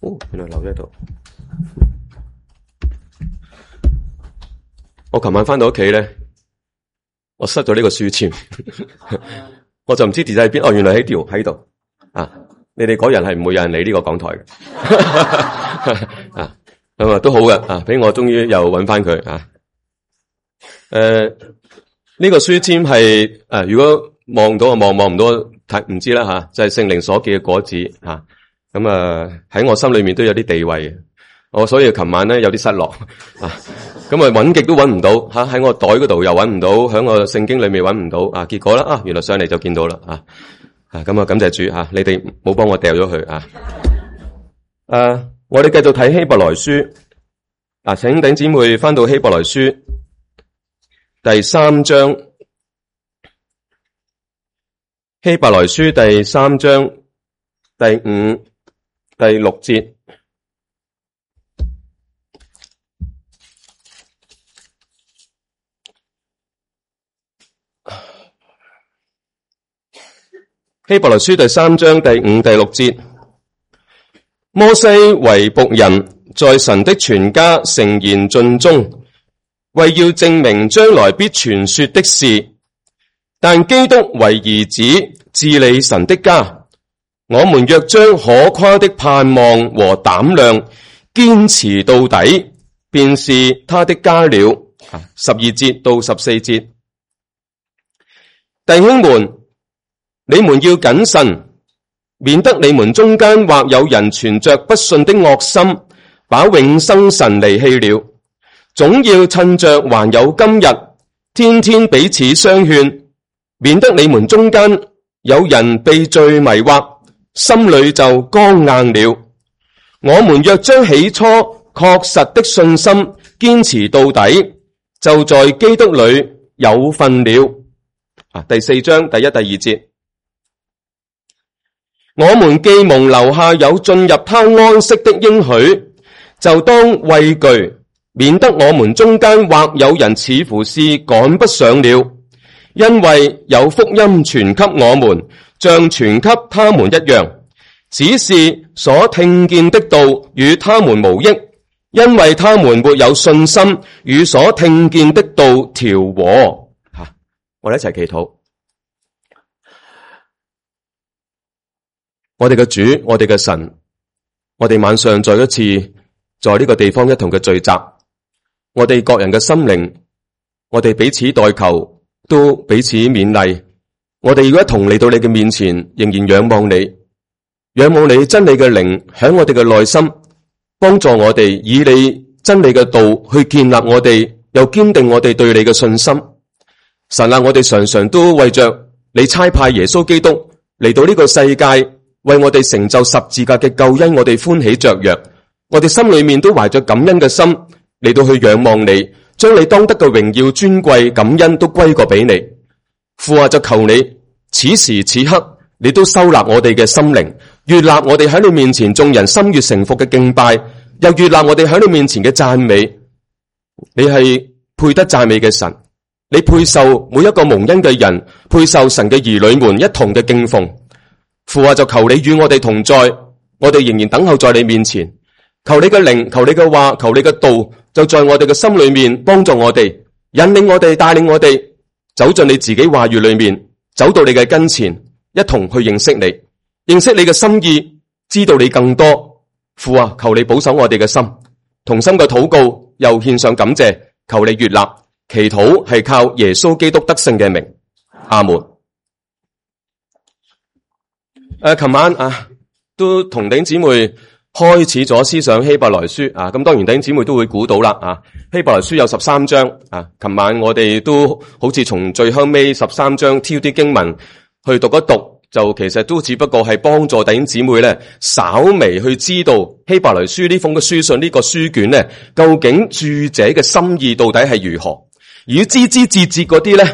原來留咗喺度。我琴晚翻到屋企咧，我失咗呢個書籤，我就唔知跌咗喺邊。原來喺度啊！你哋嗰日係唔會有人理呢個講台嘅啊，咁啊都好嘅啊，俾我終於又揾翻佢啊。呢個書籤係如果望到望唔到睇唔知啦吓，就係聖靈所結嘅果子吓。咁喺我心裏面都有啲地位，我所以琴晚咧有啲失落啊。咁揾極都揾唔到吓，喺我袋嗰度又揾唔到，喺我聖經裏面揾唔到啊。結果啦原來上嚟就見到啦啊。咁感謝主你哋冇幫我掉咗佢啊。我哋繼續睇希伯來書請弟兄姊妹翻到希伯來書第3章，希伯來書第3章第5、第6節。希伯來書第3章第5、第6節。摩西為僕人，在神的全家誠然盡忠，為要證明將來必傳說的事。但基督為兒子，治理神的家。我們若將可誇的盼望和膽量堅持到底，便是他的家了。12節到14節。弟兄們，你們要謹慎，免得你們中間或有人存着不信的惡心，把永生神離棄了。總要趁着還有今日，天天彼此相勸，免得你們中間有人被罪迷惑，心裏就剛硬了。我們若將起初確實的信心堅持到底，就在基督裏有份了。第4章第1、第2節。我們既蒙留下有進入他安息的應許，就當畏懼，免得我們中間或有人似乎是趕不上了。因為有福音傳給我們，像傳給他們一樣，只是所聽見的道與他們無益，因為他們沒有信心與所聽見的道調和。我哋一齊祈禱。我哋嘅主，我哋嘅神，我哋晚上再一次在呢個地方一同嘅聚集，我哋各人嘅心靈，我哋彼此代求，都彼此勉勵。我哋要一同嚟到你嘅面前，仍然仰望你，仰望你真理嘅靈響我哋嘅內心，幫助我哋以你真理嘅道去建立我哋，又堅定我哋對你嘅信心。神啊，我哋常常都為着你差派耶穌基督嚟到呢個世界，為我哋成就十字架嘅救恩，我哋歡喜雀躍，我哋心裏面都懷着感恩嘅心嚟到去仰望你，將你當得嘅榮耀尊貴感恩都歸過俾你。父啊，就求你此時此刻你都收納我哋嘅心靈，悅納我哋喺你面前眾人心悅誠服嘅敬拜，又悅納我哋喺你面前嘅讚美。你係配得讚美嘅神，你配受每一個蒙恩嘅人，配受神嘅兒女們一同嘅敬奉。父啊，就求你與我哋同在，我哋仍然等候在你面前。求你嘅靈，求你嘅話，求你嘅道，就在我哋嘅心裏面幫助我哋，引領我哋，帶領我哋走進你自己話語裏面，走到你嘅跟前，一同去認識你，認識你嘅心意，知道你更多。父啊，求你保守我哋嘅心，同心嘅禱告，又獻上感謝，求你悅納。祈禱係靠耶穌基督得勝嘅名，阿門。琴晚都同弟兄姊妹開始咗思想希伯來書咁當然弟兄姊妹都會估到啦希伯來書有13章琴晚我哋都好似從最後尾13章挑啲經文去讀一讀，就其實都只不過係幫助弟兄姊妹咧稍微去知道希伯來書呢封嘅書信呢個書卷咧究竟著者嘅心意到底係如何，而要枝枝節節嗰啲咧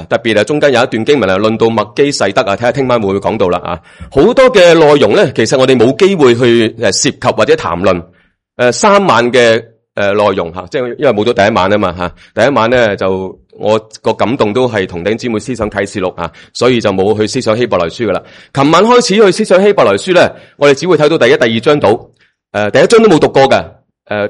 特別係中間有一段經文論到麥基洗德睇下聽晚會唔會講到啦好多嘅內容咧，其實我哋冇機會去涉及或者談論3晚嘅內容即係因為冇咗第一晚啊嘛第一晚咧就我個感動都係同弟兄姊妹思想啟示錄所以就冇去思想希伯來書噶啦。琴晚開始去思想希伯來書咧，我哋只會睇到第1、第2章到。第一章都冇讀過嘅。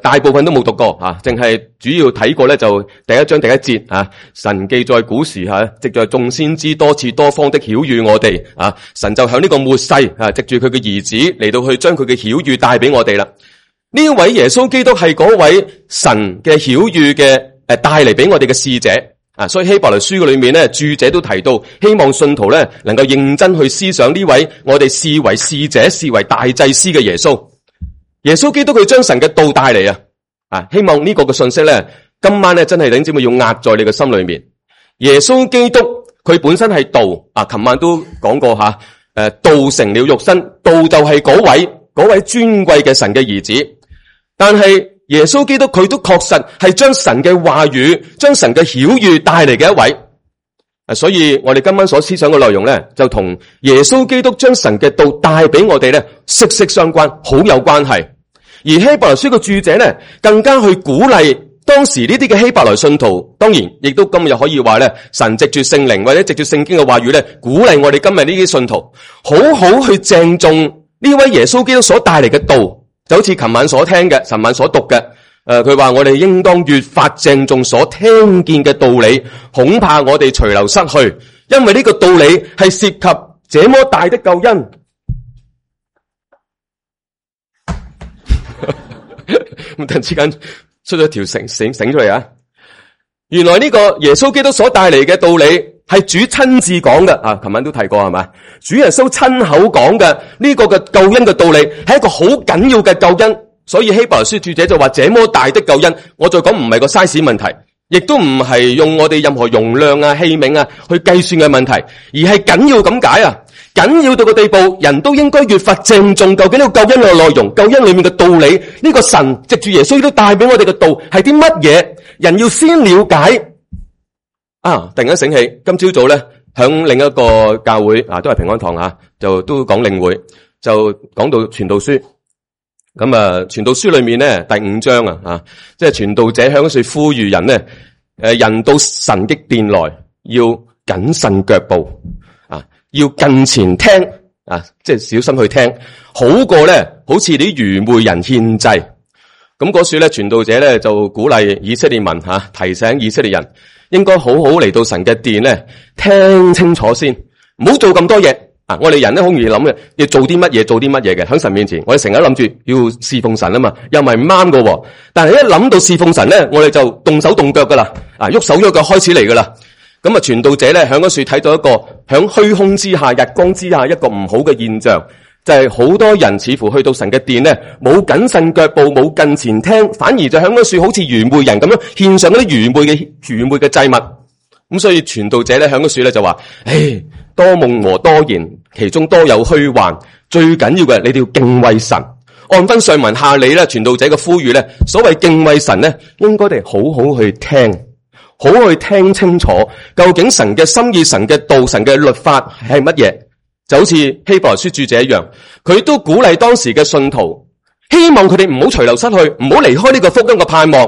大部分都冇讀過啊，淨係主要睇過咧，就第一章第一節啊。神記在古時藉着眾先知多次多方的曉諭我哋啊，神就向呢個末世藉住佢嘅兒子嚟到去將佢嘅曉諭帶俾我哋啦。呢位耶穌基督係嗰位神嘅曉諭嘅帶嚟俾我哋嘅使者啊，所以希伯來書嘅裏面咧，注者都提到，希望信徒咧能夠認真去思想呢位我哋視為使者、視為大祭司嘅耶穌。耶穌基督佢將神嘅道帶嚟啊！希望呢個嘅信息咧，今晚咧真係弟兄姊妹要壓在你嘅心裏面。耶穌基督佢本身係道啊，琴晚都講過吓，道成了肉身，道就係嗰位尊貴嘅神嘅兒子。但係耶穌基督佢都確實係將神嘅話語、將神嘅曉諭帶嚟嘅一位。所以我哋今晚所思想嘅內容咧，就同耶穌基督將神嘅道帶俾我哋咧息息相關，好有關係。而希伯來書嘅著者咧，更加去鼓勵當時呢啲嘅希伯來信徒，當然亦都今日可以話咧，神藉住聖靈或者藉住聖經嘅話語咧，鼓勵我哋今日呢啲信徒，好好去鄭重呢位耶穌基督所帶嚟嘅道，就好似琴晚所聽嘅，尋晚所讀嘅。佢話我哋應當越發鄭重所聽見嘅道理，恐怕我哋隨流失去，因為呢個道理係涉及這麼大的救恩。咁突然之間出咗條繩出嚟啊！原來呢個耶穌基督所帶嚟嘅道理係主親自講嘅啊！琴晚都提過係咪？主耶穌親口講嘅呢個嘅救恩嘅道理係一個好緊要嘅救恩。所以希伯來書著者就話這麼大的救恩，我再講唔係個 size 問題，亦都唔係用我哋任何容量啊、器皿啊去計算嘅問題，而係緊要咁解啊！緊要到個地步，人都應該越發鄭重究竟呢個救恩嘅內容、救恩裏面嘅道理，呢個神藉住耶穌都帶俾我哋嘅道係啲乜嘢？人要先了解啊！突然間醒起，今朝早咧響另一個教會啊，都係平安堂啊，就都講領會，就講到傳道書。咁啊，傳道書裏面咧第5章啊，即係傳道者響嗰處呼籲人咧，人到神的殿來要謹慎腳步啊，要近前聽啊，即係小心去聽，好過咧好似啲愚昧人獻祭。咁嗰處咧傳道者咧就鼓勵以色列民提醒以色列人應該好好嚟到神嘅殿咧，聽清楚先，唔好做咁多嘢。我哋人咧好容易諗嘅，要做啲乜嘢嘅，喺神面前，我哋成日諗住要侍奉神啊嘛，又唔係唔啱嘅。但係一諗到侍奉神咧，我哋就動手動腳噶啦，喐手喐腳開始嚟噶啦。咁啊，傳道者咧喺嗰處睇到一個喺虛空之下、日光之下一個唔好嘅現象，就係好多人似乎去到神嘅殿咧，冇謹慎腳步，冇近前聽，反而就喺嗰處好似愚昧人咁樣獻上嗰啲愚昧嘅祭物。咁所以傳道者咧喺嗰處咧就話：多夢和多言，其中多有虛幻。最緊要嘅，你哋要敬畏神。按分上文下理咧，傳道者嘅呼籲咧，所謂敬畏神咧，應該哋好好去聽，好好去聽清楚，究竟神嘅心意、神嘅道、神嘅律法係乜嘢？就好似希伯來書著者一樣，佢都鼓勵當時嘅信徒，希望佢哋唔好隨流失去，唔好離開呢個福音嘅盼望。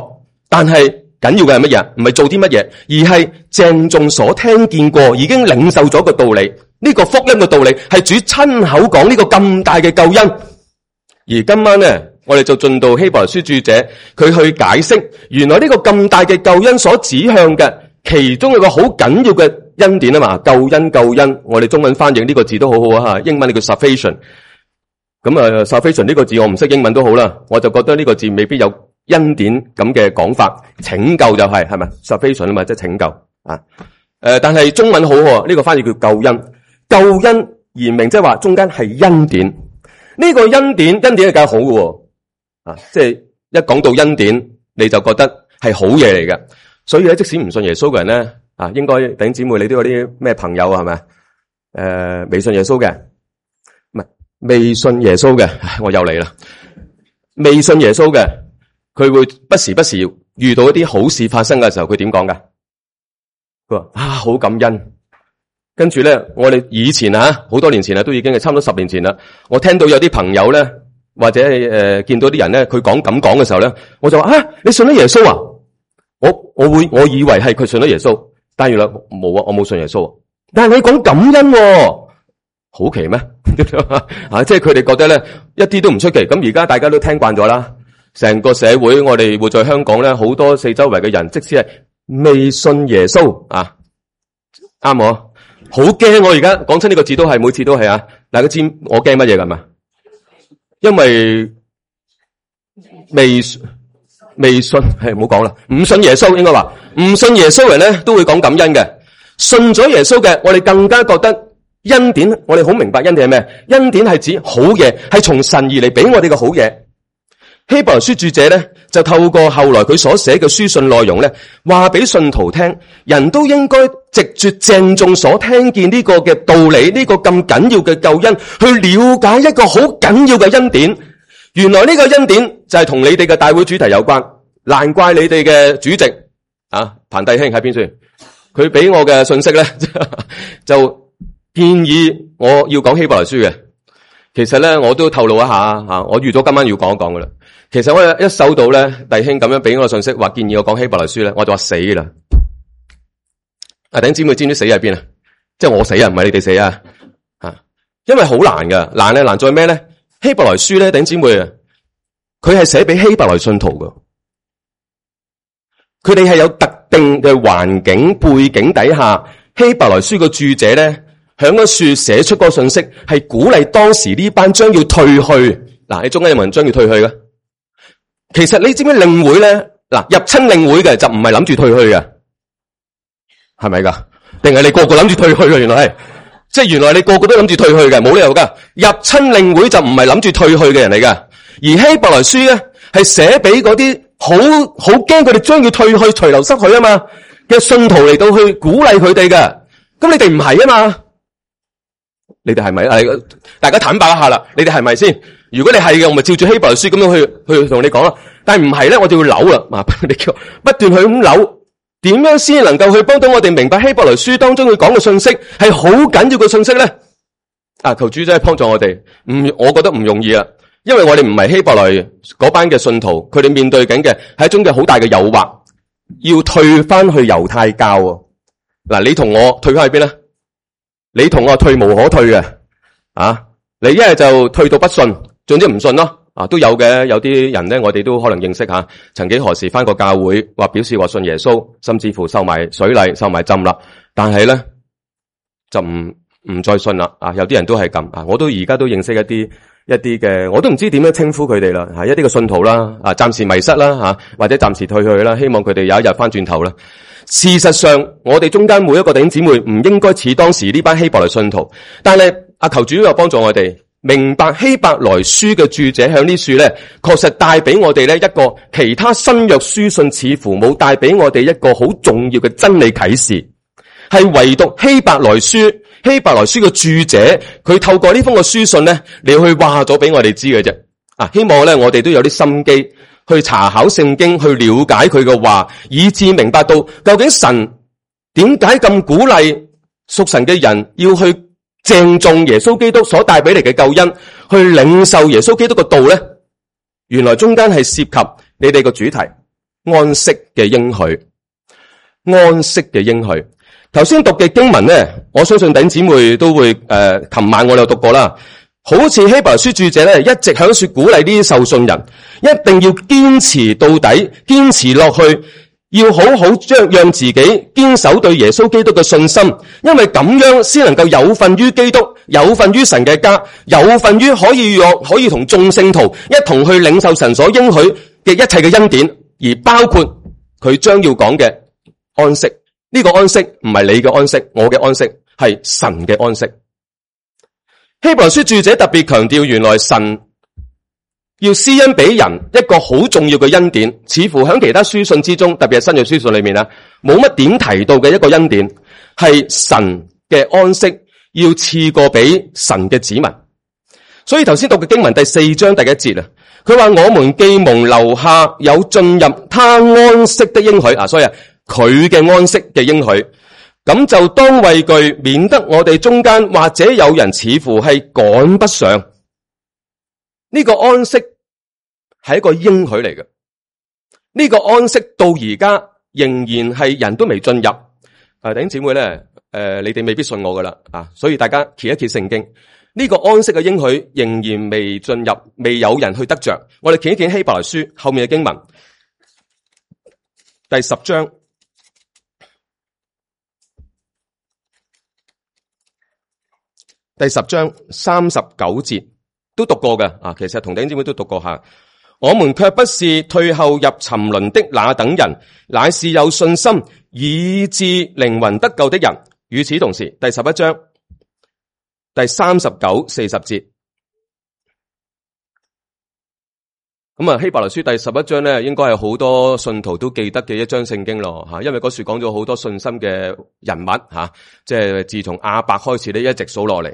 但係緊要嘅係乜嘢？唔係做啲乜嘢，而係鄭重所聽見過，已經領受咗個道理。呢個福音嘅道理係主親口講呢個咁大嘅救恩。而今晚呢，我哋就進到希伯來書著者，佢去解釋原來呢個咁大嘅救恩所指向嘅其中有個好緊要嘅恩典啊嘛，救恩，我哋中文翻譯呢個字都好好啊，英文叫 salvation。咁salvation 呢個字我唔識英文都好啦，我就覺得呢個字未必有恩典咁嘅講法，拯救就係咪 salvation 啊嘛，即係拯救啊。但係中文好喎，呢個翻譯叫救恩。救恩言明即係話中間係恩典。呢個恩典係梗係好嘅啊，即係一講到恩典你就覺得係好嘢嚟嘅。所以咧，即使唔信耶穌嘅人咧啊，應該弟兄姊妹你都有啲咩朋友係咪？未信耶穌嘅，唔係未信耶穌嘅，我又嚟啦。未信耶穌嘅，佢會不時遇到一啲好事發生嘅時候，佢點講噶？佢話好感恩。跟住咧，我哋以前好多年前都已經係差唔多10年前啦。我聽到有啲朋友咧，或者見到啲人咧，佢咁講嘅時候咧，我就話你信咗耶穌啊？我以為係佢信咗耶穌，但原來冇啊，我冇信耶穌。但係你講感恩喎，好奇咩？即係佢哋覺得咧一啲都唔出奇。咁而家大家都聽慣咗啦，成個社會我哋活在香港咧，好多四周圍嘅人，即使係未信耶穌啊，啱我，好驚。我而家講親呢個字都係每次都係啊，大家知我驚乜嘢㗎嘛？因為未信係唔好講啦，唔信耶穌應該話唔信耶穌人咧都會講感恩嘅，信咗耶穌嘅我哋更加覺得恩典。我哋好明白恩典係咩？恩典係指好嘢，係從神而嚟俾我哋嘅好嘢。希伯來書著者咧就透過後來佢所寫嘅書信內容咧，話俾信徒聽，人都應該藉住鄭重所聽見呢個嘅道理，呢個咁緊要嘅救恩，去了解一個好緊要嘅恩典。原來呢個恩典就係同你哋嘅大會主題有關，難怪你哋嘅主席啊彭弟兄喺邊處，佢俾我嘅信息咧就建議我要講希伯來書嘅。其實咧我都透露一下我預咗今晚要講一講噶啦。其實我一收到咧弟兄咁樣俾我信息，話建議我講希伯來書咧，我就話死啦。弟兄姊妹知唔知死喺邊啊？即係我死啊，唔係你哋死啊。因為好難噶，難在咩咧？希伯來書咧，弟兄姊妹啊，佢係寫俾希伯來信徒噶，佢哋係有特定嘅環境背景底下，希伯來書嘅著者咧，響嗰處寫出個信息，係鼓勵當時呢班將要退去。嗱，你中間有冇人將要退去嘅？其實你知唔知領會咧？嗱，入親領會嘅就唔係諗住退去嘅，係咪噶？定係你個個諗住退去嘅？原來係。即係原來你個個都諗住退去嘅，冇理由噶。入親領會就唔係諗住退去嘅人嚟噶。而希伯來書咧係寫俾嗰啲好驚佢哋將要退去、隨流失去啊嘛嘅信徒嚟到去鼓勵佢哋嘅。咁你哋唔係啊嘛？你哋係咪？大家坦白一下啦，你哋係咪先？如果你係嘅，我咪照住希伯來書咁樣去同你講啦。但係唔係咧，我就要扭啦。你叫不斷去咁扭。點樣先能夠去幫到我哋明白希伯來書當中佢講嘅信息係好緊要嘅信息咧？求主真係幫助我哋。我覺得唔容易啊，因為我哋唔係希伯來嗰班嘅信徒，佢哋面對緊嘅係一種嘅好大嘅誘惑，要退翻去猶太教。嗱，你同我退翻去邊咧？你同我退無可退嘅。你一係就退到不信，總之唔信咯。都有嘅，有啲人咧，我哋都可能認識下，曾幾何時返過教會，話表示話信耶穌，甚至乎受埋水禮、受埋浸啦，但係咧就唔再信啦。有啲人都係咁。我都而家都認識一啲嘅，我都唔知點樣稱呼佢哋啦。一啲嘅信徒啦，暫時迷失啦，或者暫時退去啦，希望佢哋有一日返轉頭啦。事實上，我哋中間每一個弟兄姊妹唔應該似當時呢班希伯來信徒，但係求主又幫助我哋。明白希伯來書嘅著者向呢處咧，確實帶俾我哋咧一個其他新約書信似乎冇帶俾我哋一個好重要嘅真理啟示，係唯獨希伯來書嘅著者，佢透過呢封嘅書信咧，你去話咗俾我哋知嘅啫。希望咧我哋都有啲心機去查考聖經，去了解佢嘅話，以致明白到究竟神點解咁鼓勵屬神嘅人要去鄭重耶穌基督所帶俾你嘅救恩，去領受耶穌基督嘅道咧，原來中間係涉及你哋個主題安息嘅應許。安息嘅應許，頭先讀嘅經文咧，我相信弟兄姊妹都會琴晚我有讀過啦。好似希伯來書著者咧，一直響說鼓勵呢啲受信人，一定要堅持到底，堅持落去。要好好讓自己堅守對耶穌基督嘅信心，因為咁樣先能夠有份於基督，有份於神嘅家，有份於可以同眾聖徒一同去領受神所應許嘅一切嘅恩典，而包括佢將要講嘅安息。呢個安息唔係你嘅安息，我嘅安息係神嘅安息。希伯來書著者特別強調，原來神要施恩俾人一個好重要嘅恩典，似乎喺其他書信之中，特別係新約書信裏面冇乜點提到嘅一個恩典，係神嘅安息要賜過俾神嘅子民。所以頭先讀嘅經文第4章第1節佢話我們既蒙留下有進入他安息的應許，所以佢嘅安息嘅應許，咁就當畏懼，免得我哋中間或者有人似乎係趕不上。呢個安息係一個應許嚟嘅，呢個安息到而家仍然係人都未進入。弟兄姊妹咧，你哋未必信我噶啦啊！所以大家揭一揭聖經，呢個安息嘅應許仍然未進入，未有人去得着。我哋揭一揭希伯來書後面嘅經文，第10章。第10章39節都讀過嘅啊，其實同弟兄姊妹都讀過下。我們卻不是退後入沉淪的那等人，乃是有信心以致靈魂得救的人。與此同時，第11章第39、40節。咁啊，希伯來書第11章咧，應該係好多信徒都記得嘅一章聖經咯吓，因為嗰處講咗好多信心嘅人物吓，即係自從亞伯開始咧，一直數落嚟，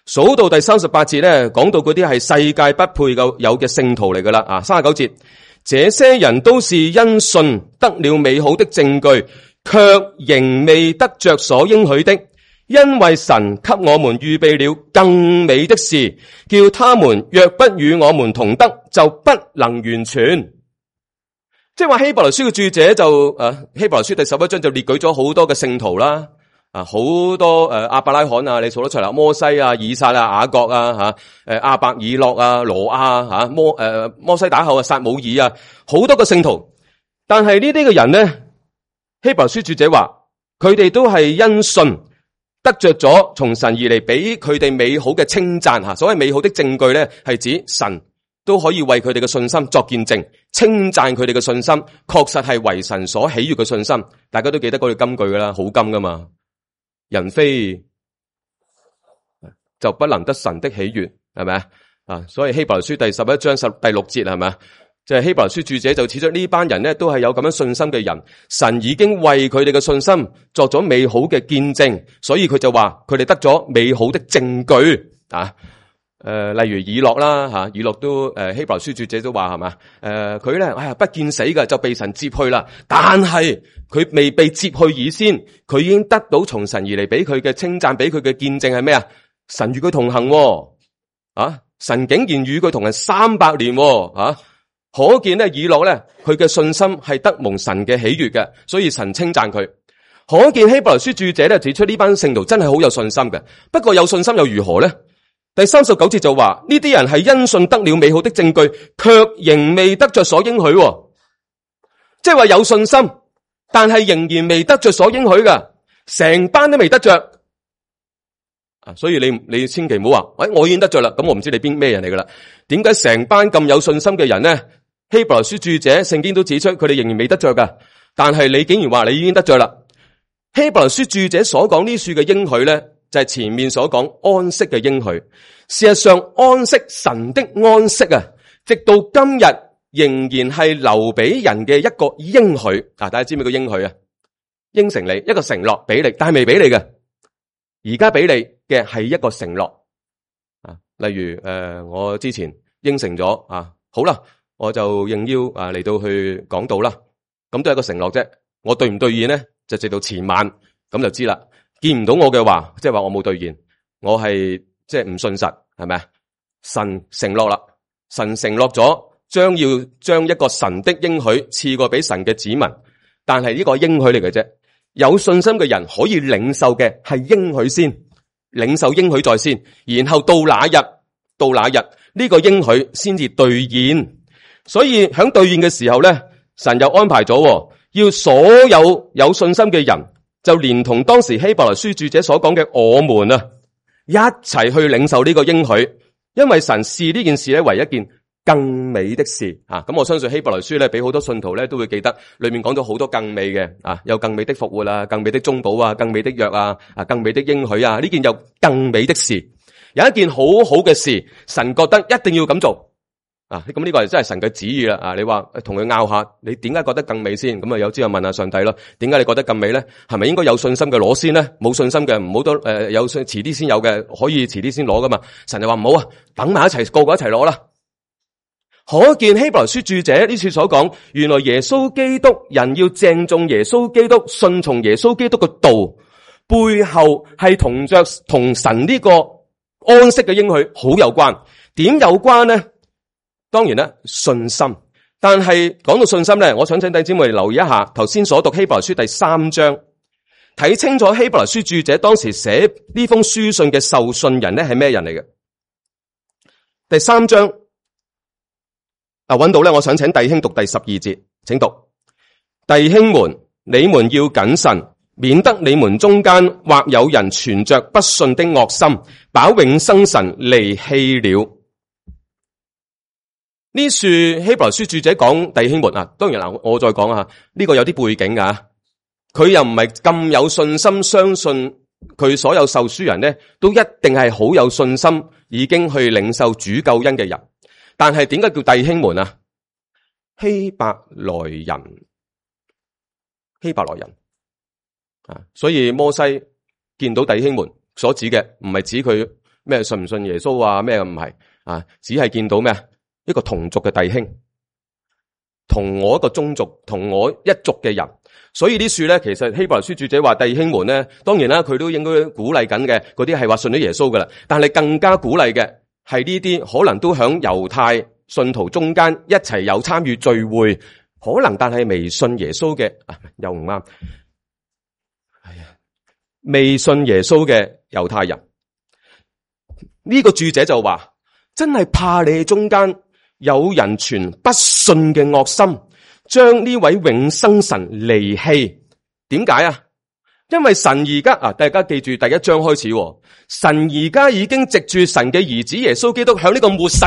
數到第38節咧，講到嗰啲係世界不配有嘅聖徒嚟噶啦啊，39節，這些人都是因信得了美好的證據，卻仍未得着所應許的。因為神給我們預備了更美的事，叫他們若不與我們同得，就不能完全。即係話希伯來書嘅著者就希伯來書第11章就列舉咗好多嘅聖徒啦，好多亞伯拉罕啊，你數得出嚟，摩西啊、以撒啊、雅各啊亞伯以諾啊、羅亞摩西打後啊、撒母耳啊，好多個聖徒。但係呢啲嘅人呢，希伯來書著者話佢哋都係因信得着咗從神而嚟俾佢哋美好嘅稱讚吓，所謂美好的證據咧，係指神都可以為佢哋嘅信心作見證，稱讚佢哋嘅信心確實係為神所喜悅嘅信心。大家都記得嗰句金句噶啦，好金噶嘛，人非就不能得神的喜悅，係咪啊？所以希伯來書第11章第6節係咪啊？就係希伯來書著者就指出呢班人咧都係有咁樣信心嘅人，神已經為佢哋嘅信心作咗美好嘅見證，所以佢就話佢哋得咗美好的證據啊。例如以諾啦吓，以諾都希伯來書著者都話係嘛，佢咧不見死嘅就被神接去啦，但係佢未被接去以先，佢已經得到從神而嚟俾佢嘅稱讚，俾佢嘅見證係咩啊？神與佢同行啊，神竟然與佢同行300年啊！可見咧，以諾咧，佢嘅信心係得蒙神嘅喜悅嘅，所以神稱讚佢。可見希伯來書著者咧指出呢班聖徒真係好有信心嘅。不過有信心又如何咧？第39節就話呢啲人係因信得了美好的證據，卻仍未得着所應許。即係話有信心，但係仍然未得着所應許嘅，成班都未得着。所以你千祈唔好話，我已經得着啦，咁我唔知你咩人嚟噶啦？點解成班咁有信心嘅人咧？希伯來書著者聖經都指出佢哋仍然未得着噶，但係你竟然話你已經得着啦？希伯來書著者所講呢處嘅應許咧，就係前面所講安息嘅應許。事實上，安息神的安息啊，直到今日仍然係留俾人嘅一個應許。大家知唔知個應許啊？應承你一個承諾俾你，但係未俾你嘅。而家俾你嘅係一個承諾啊，例如我之前應承咗好啦，我就應邀嚟到去講道啦，咁都係一個承諾啫。我兌唔兌現咧，就直到前晚咁就知啦。見唔到我嘅話，即係話我冇兌現，我係即係唔信實，係咪啊？神承諾啦，神承諾咗將要將一個神的應許賜過俾神嘅子民，但係呢個應許嚟嘅啫。有信心嘅人可以領受嘅係應許先，領受應許在先，然後到那日呢個應許先至兌現。所以喺兌現嘅時候咧，神又安排咗要所有有信心嘅人就連同當時希伯來書著者所講嘅我們一齊去領受呢個應許，因為神視呢件事咧為一件更美的事咁我相信希伯來書咧，俾好多信徒咧都會記得，裏面講咗好多更美嘅有更美的復活啊，更美的中保啊，更美的約啊，更美的應許啊，呢件有更美的事，有一件好好嘅事，神覺得一定要咁做咁呢個係真係神嘅旨意啦。你話同佢拗下，你點解覺得更美先？咁有之後問下上帝咯，點解你覺得更美咧？係咪應該有信心嘅攞先咧？冇信心嘅唔好多有遲啲先有嘅，可以遲啲先攞噶嘛？神就話唔好啊，等埋一齊，個個一齊攞啦。可見希伯來書著者呢次所講，原來耶穌基督人要鄭重耶穌基督，順從耶穌基督嘅道，背後係同神呢個安息嘅應許好有關。點有關呢？當然啦，信心。但係講到信心咧，我想請弟兄姊妹留意一下頭先所讀希伯來書第3章睇清楚希伯來書著者當時寫呢封書信嘅受信人咧係咩人嚟嘅。第3章揾到咧，我想請弟兄讀第12節，請讀。弟兄們，你們要謹慎，免得你們中間或有人存着不信的惡心，把永生神離棄了。呢處希伯來書著者講弟兄們啊，當然啦，我再講下呢個有啲背景啊。佢又唔係咁有信心相信佢所有受書人呢都一定係好有信心已經去領受主救恩嘅人。但係點解叫弟兄們啊？希伯來人啊，所以摩西見到弟兄們所指嘅唔係指佢咩信唔信耶穌啊咩唔係啊，只係見到咩一個同族嘅弟兄，同我一個宗族，同我一族嘅人。所以呢處咧，其實希伯來書著者話弟兄們咧，當然啦，佢都應該鼓勵緊嘅嗰啲係話信咗耶穌噶啦，但係更加鼓勵嘅係呢啲可能都響猶太信徒中間一齊有參與聚會，可能但係未信耶穌嘅又唔啱，未信耶穌嘅猶太人。呢個著者就話，真係怕你哋中間有人存不信嘅惡心，將呢位永生神離棄。點解啊？因為神而家大家記住第1章開始，神而家已經藉住神嘅兒子耶穌基督響呢個末世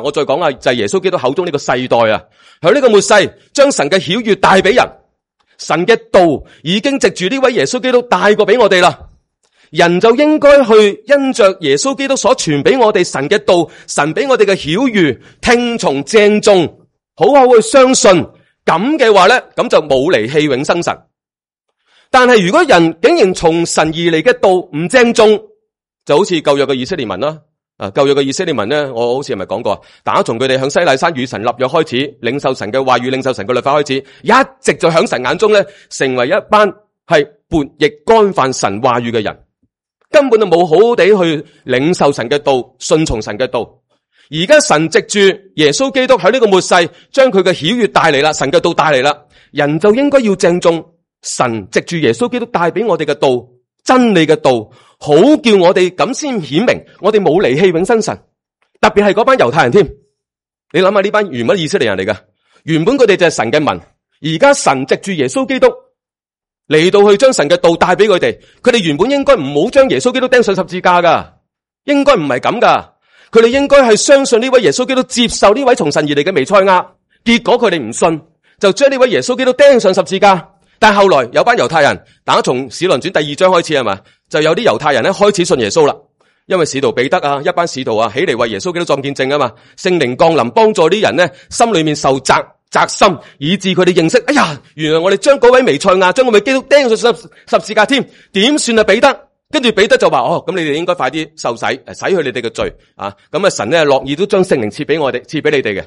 我再講下就係耶穌基督口中呢個世代響呢個末世將神嘅曉諭帶俾人，神嘅道已經藉住呢位耶穌基督帶過俾我哋啦。人就應該去因着耶穌基督所傳俾我哋神嘅道，神俾我哋嘅曉諭，聽從鄭重，好好去相信。咁嘅話咧，咁就冇離棄永生神。但係如果人竟然從神而嚟嘅道唔鄭重，就好似舊約嘅以色列民啦。舊約嘅以色列民咧，我好似係咪講過，打從佢哋向西奈山與神立約開始，領受神嘅話語，領受神嘅律法開始，一直就響神眼中咧，成為一班係悖逆干犯神話語嘅人。根本就冇好好地去領受神嘅道，順從神嘅道。而家神藉住耶穌基督喺呢個末世，將佢嘅曉諭帶嚟啦，神嘅道帶嚟啦，人就應該要鄭重神藉住耶穌基督帶俾我哋嘅道，真理嘅道，好叫我哋咁先顯明我哋冇離棄永生神。特別係嗰班猶太人添，你諗下呢班原本以色列人嚟㗎，原本佢哋就係神嘅民，而家神藉住耶穌基督嚟到去將神嘅道帶俾佢哋，佢哋原本應該唔好將耶穌基督釘上十字架噶，應該唔係咁噶，佢哋應該係相信呢位耶穌基督，接受呢位從神而嚟嘅彌賽亞。結果佢哋唔信，就將呢位耶穌基督釘上十字架。但係後來有班猶太人，打從使徒行傳第2章開始係嘛，就有啲猶太人咧開始信耶穌啦。因為使徒彼得一班使徒起嚟為耶穌基督作見證啊嘛，聖靈降臨幫助啲人咧，心裏面受責心，以致佢哋認識，哎呀，原來我哋將嗰位彌賽亞，將嗰位基督釘上十字架添，點算啊彼得？跟住彼得就話，咁你哋應該快啲受洗，洗去你哋嘅罪啊！咁神咧樂意都將聖靈賜俾我哋，賜俾你哋嘅。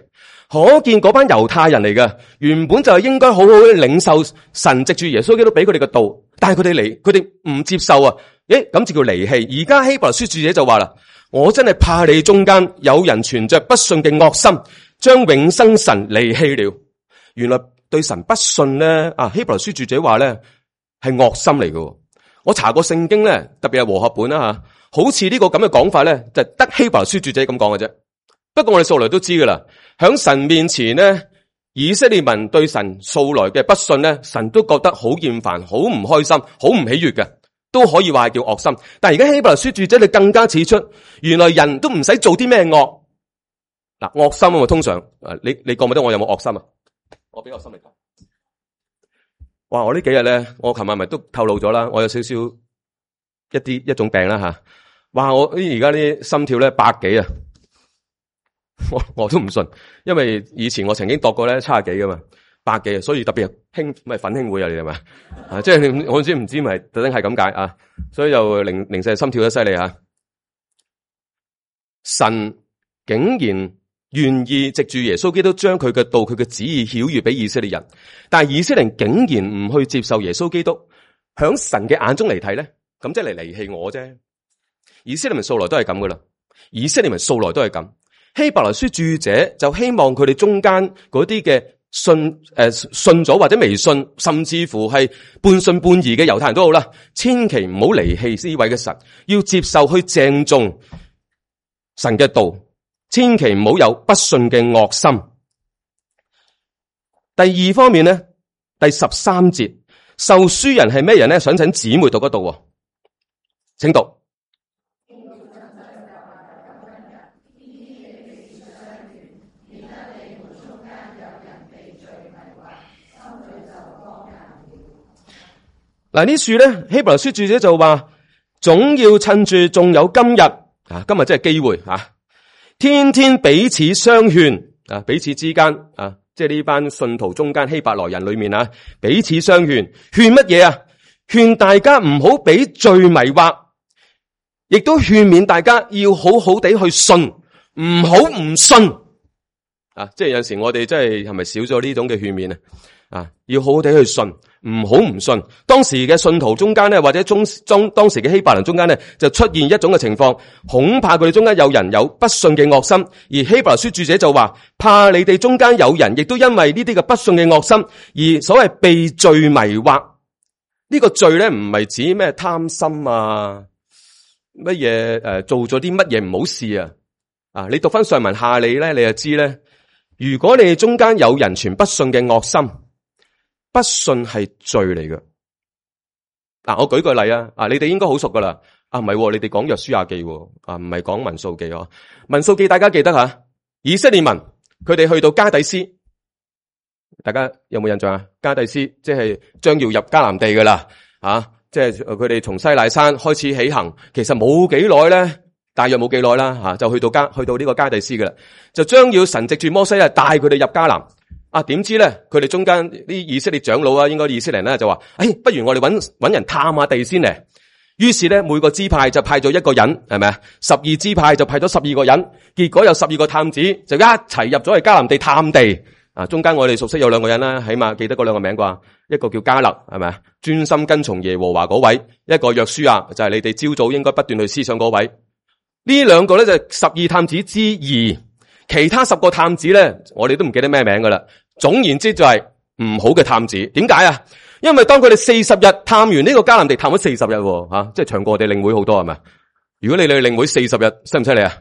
可見嗰班猶太人嚟嘅，原本就係應該好好去領受神藉住耶穌基督俾佢哋嘅道，但係佢哋唔接受啊！咁就叫離棄。而家希伯來書著者就話啦，我真係怕你中間有人存着不信嘅惡心，將永生神離棄了。原來對神不信咧，希伯來書著者話咧係惡心嚟嘅。我查過聖經咧，特別係和合本啦好似呢個咁嘅講法咧，就得希伯來書著者咁講嘅啫。不過我哋素來都知噶啦，響神面前咧，以色列民對神素來嘅不信咧，神都覺得好厭煩、好唔開心、好唔喜悅嘅，都可以話係叫惡心。但係而家希伯來書著者你更加指出，原來人都唔使做啲咩惡。惡心啊嘛，通常你覺唔覺得我有冇惡心啊？我俾惡心你講。哇！我呢幾日咧，我琴日咪都透露咗啦，我有少少一種病啦吓。哇！我而家啲心跳咧100幾啊，我都唔信，因為以前我曾經度過咧70幾噶嘛，100幾啊，所以特別係奮興會啊，你係咪即係我唔知咪特登係咁解啊，所以就零舍心跳得犀利吓。神竟然願意藉住耶穌基督將佢嘅道、佢嘅旨意曉諭俾以色列人，但係以色列人竟然唔去接受耶穌基督，響神嘅眼中嚟睇咧，咁即係嚟離棄我啫。以色列人素來都係咁噶啦，以色列人素來都係咁。希伯來書著者就希望佢哋中間嗰啲嘅信咗或者未信，甚至乎係半信半疑嘅猶太人都好啦，千祈唔好離棄呢位嘅神，要接受去鄭重神嘅道，千祈唔好有不信嘅惡心。第二方面咧，第13節，受書人係咩人咧？想請姊妹讀嗰度，請讀。嗱，呢處咧，希伯來書著者就話，總要趁住仲有今日啊，今日真係機會啊，天天彼此相勸啊，彼此之間啊，即係呢班信徒中間希伯來人裏面啊，彼此相勸，勸乜嘢啊？勸大家唔好俾罪迷惑，亦都勸勉大家要好好地去信，唔好唔信啊！即係有陣時我哋真係咪少咗呢種嘅勸勉啊？啊，要好好地去信，唔好唔信。當時嘅信徒中間咧，或者當時嘅希伯來人中間咧，就出現一種嘅情況，恐怕佢哋中間有人有不信嘅惡心，而希伯來書著者就話，怕你哋中間有人亦都因為呢啲嘅不信嘅惡心，而所謂被罪迷惑。呢個罪咧唔係指咩貪心啊，乜嘢做咗啲乜嘢唔好事啊？啊，你讀翻上文下理咧，你就知咧，如果你哋中間有人存不信嘅惡心，不信係罪嚟嘅。嗱，我舉個例啊，你哋應該好熟噶啦。唔係，你哋講約書亞記，唔係講民數記。民數記大家記得吓，以色列民佢哋去到加底斯，大家有冇印象啊？加底斯即係將要入迦南地噶啦，即係佢哋從西奈山開始起行，其實冇幾耐咧，大約冇幾耐啦，就去到呢個加底斯噶啦，就將要神藉住摩西帶佢哋入迦南。點知咧？佢哋中間啲以色列長老啊，應該以色列人咧就話：，不如我哋搵人探下地先嚟。於是咧，每個支派就派咗一個人，係咪啊？12支派就派咗12個人，結果有12個探子就一齊入咗去迦南地探地。中間我哋熟悉有兩個人啦，起碼記得嗰兩個名啩。一個叫迦勒，係咪啊？專心跟從耶和華嗰位；一個約書亞，就係你哋朝早應該不斷去思想嗰位。呢兩個咧就12探子之2。其他10個探子咧，我哋都唔記得咩名噶啦。總言之就係唔好嘅探子。點解啊？因為當佢哋40日探完呢個迦南地，探咗40日，即係長過我哋領會好多係咪？如果你哋領會40日，犀唔犀利啊？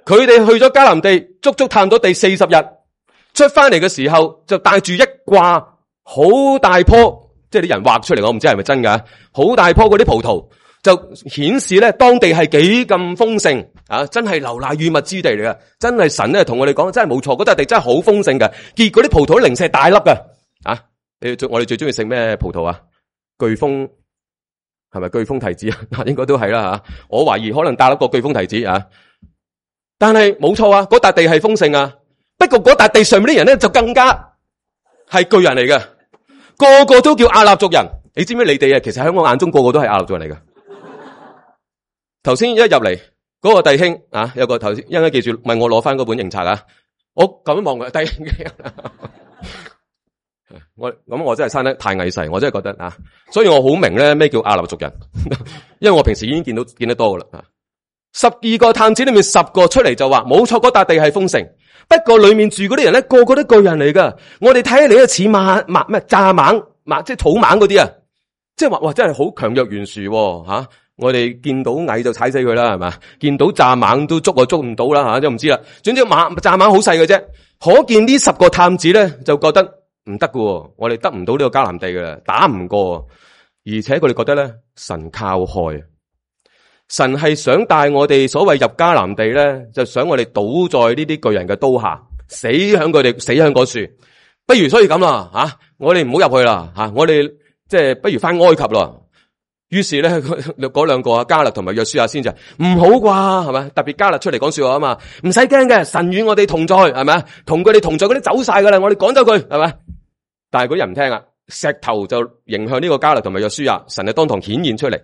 佢哋去咗迦南地，足足探咗地40日，出翻嚟嘅時候就帶住一掛好大棵，即係啲人畫出嚟，我唔知係咪真噶，好大棵嗰啲葡萄。就顯示咧，當地係幾咁豐盛啊！真係流奶與蜜之地嚟嘅，真係神咧同我哋講，真係冇錯，嗰笪地真係好豐盛嘅。結果啲葡萄零舍大粒嘅啊！我哋最中意食咩葡萄啊？巨峰係咪巨峰提子啊？應該都係啦吓。我懷疑可能大粒過巨峰提子啊。但係冇錯啊，嗰笪地係豐盛啊。不過嗰笪地上面啲人咧就更加係巨人嚟嘅，個個都叫亞納族人。你知唔知你哋啊？其實喺我眼中個個都係亞納族人嚟嘅。頭先一入嚟嗰個弟兄有個頭先，應該記住問我攞翻嗰本營冊啊！我咁樣望佢弟兄我真係生得太矮細，我真係覺得所以我好明咧咩叫亞納族人，因為我平時已經見得多噶啦。12個探子裏面10個出嚟就話冇錯，嗰笪地係豐盛，不過裏面住嗰啲人咧個個都巨人嚟噶。我哋睇起嚟都似咩蚱蜢，即係草蜢嗰啲啊，即係話哇真係好強弱懸殊吓。我哋見到蟻就踩死佢啦，係嘛？見到蚱蜢都捉唔到啦，都唔知啦。總之蚱蜢好細嘅啫。可見呢10個探子咧就覺得唔得喎，我哋得唔到呢個迦南地嘅，打唔過。而且佢哋覺得咧，神靠害，神係想帶我哋所謂入迦南地咧，就想我哋倒在呢啲巨人嘅刀下，死響嗰樹。不如所以咁啦，我哋唔好入去啦，我哋即係不如翻埃及咯。於是咧，嗰兩個迦勒同埋約書亞先就唔好啩，係咪？特別迦勒出嚟講說話啊嘛，唔使驚嘅，神與我哋同在，係咪？同佢哋同在嗰啲走晒噶啦，我哋趕走佢，係咪？但係嗰人唔聽啊，石頭就迎向呢個迦勒同埋約書亞，神係當堂顯現出嚟，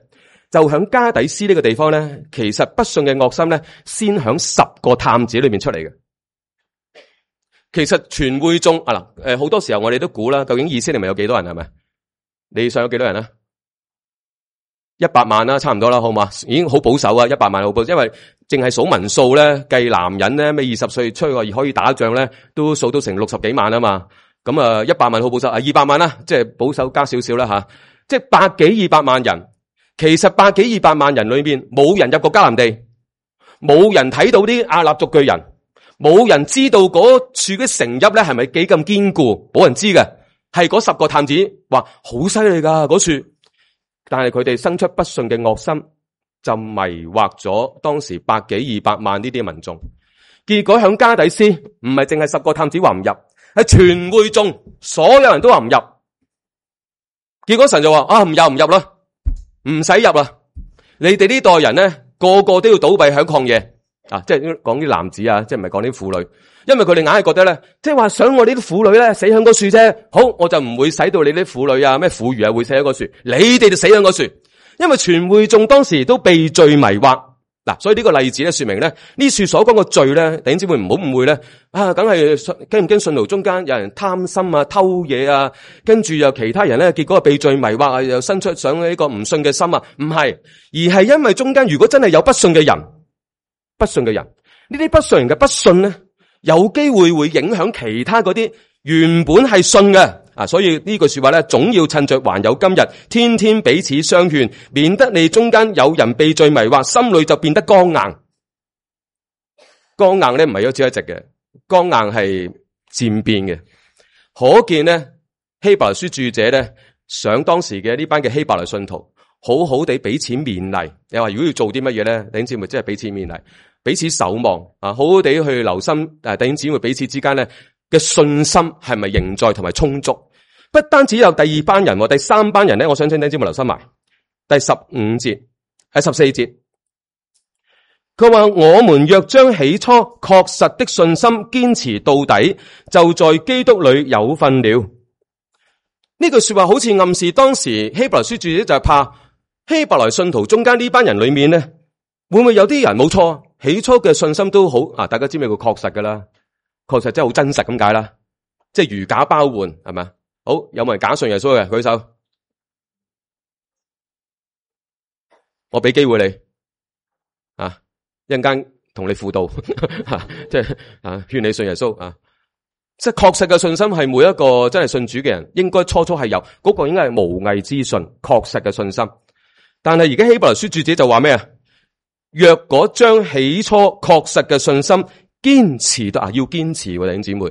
就響加底斯呢個地方咧，其實不信嘅惡心咧，先響10個探子裏面出嚟嘅。其實全會眾好多時候我哋都估啦，究竟以色列咪有幾多人係咪？你想有幾多人啊？ 100萬啦，差唔多啦，好嘛？已經好保守啊，100萬好保守，因為淨係數民數咧，計男人咧，咩20歲出去可以打仗咧，都數到成60幾萬啊嘛。咁啊，100萬好保守啊，200萬啦，即係保守加少少啦吓，即係100幾200萬人。其實100幾200萬人裏邊，冇人入過迦南地，冇人睇到啲亞納族巨人，冇人知道嗰處嘅城邑咧係咪幾咁堅固，冇人知嘅。係嗰10個探子話好犀利噶嗰處，但係佢哋生出不信嘅惡心，就迷惑咗當時100幾200萬呢啲民眾。結果響加底斯，唔係淨係10個探子話唔入，係全會眾所有人都話唔入。結果神就話啊，唔入啦，唔使入啦，你哋呢代人咧個個都要倒斃響曠野啊！即係講啲男子啊，即係唔係講啲婦女。因為佢哋硬係覺得咧，即係話想我呢啲婦女咧死響嗰樹啫，好，我就唔會使到你啲婦女啊、咩婦孺啊會死喺嗰樹，你哋就死響嗰樹。因為全會眾當時都被罪迷惑，嗱，所以呢個例子咧說明咧呢樹所講嘅罪咧，弟兄姊妹唔好誤會咧，啊，梗係驚唔驚信徒中間有人貪心啊、偷嘢啊，跟住又其他人咧，結果被罪迷惑啊，又生出上呢個唔信嘅心啊，唔係，而係因為中間如果真係有不信嘅人，呢啲不信人嘅不信咧。有機會會影響其他嗰啲原本係信嘅啊，所以呢句說話咧，總要趁着還有今日，天天彼此相勸，免得你中間有人被罪迷惑，心裏就變得剛硬。剛硬咧唔係一朝一夕嘅，剛硬係漸變嘅。可見咧希伯來書著者咧，想當時嘅呢班嘅希伯來信徒，好好地彼此勉勵。你話如果要做啲乜嘢咧，弟兄姊妹即係彼此勉勵。彼此守望啊，好好地去留心弟兄姊妹彼此之間咧嘅信心係咪仍在同埋充足？不單止有第2班人，第3班人咧，我想請弟兄姊妹留心埋第15節喺14節，佢話我們若將起初確實的信心堅持到底，就在基督裏有份了。呢句說話好似暗示當時希伯來書著者就係怕希伯來信徒中間呢班人裏面咧，會唔會有啲人冇錯？起初嘅信心都好啊，大家知咩叫確實噶啦？確實真係好真實咁解啦，即係如假包換係咪？好，有冇人假信耶穌嘅？舉手，我俾機會你啊，一陣間同你輔導，即係啊，勸你信耶穌啊！即係確實嘅信心係每一個真係信主嘅人應該初係有，嗰個應該係無偽之信，確實嘅信心。但係而家希伯來書著者就話咩啊？若果將起初確實嘅信心堅持到要堅持，弟兄姊妹，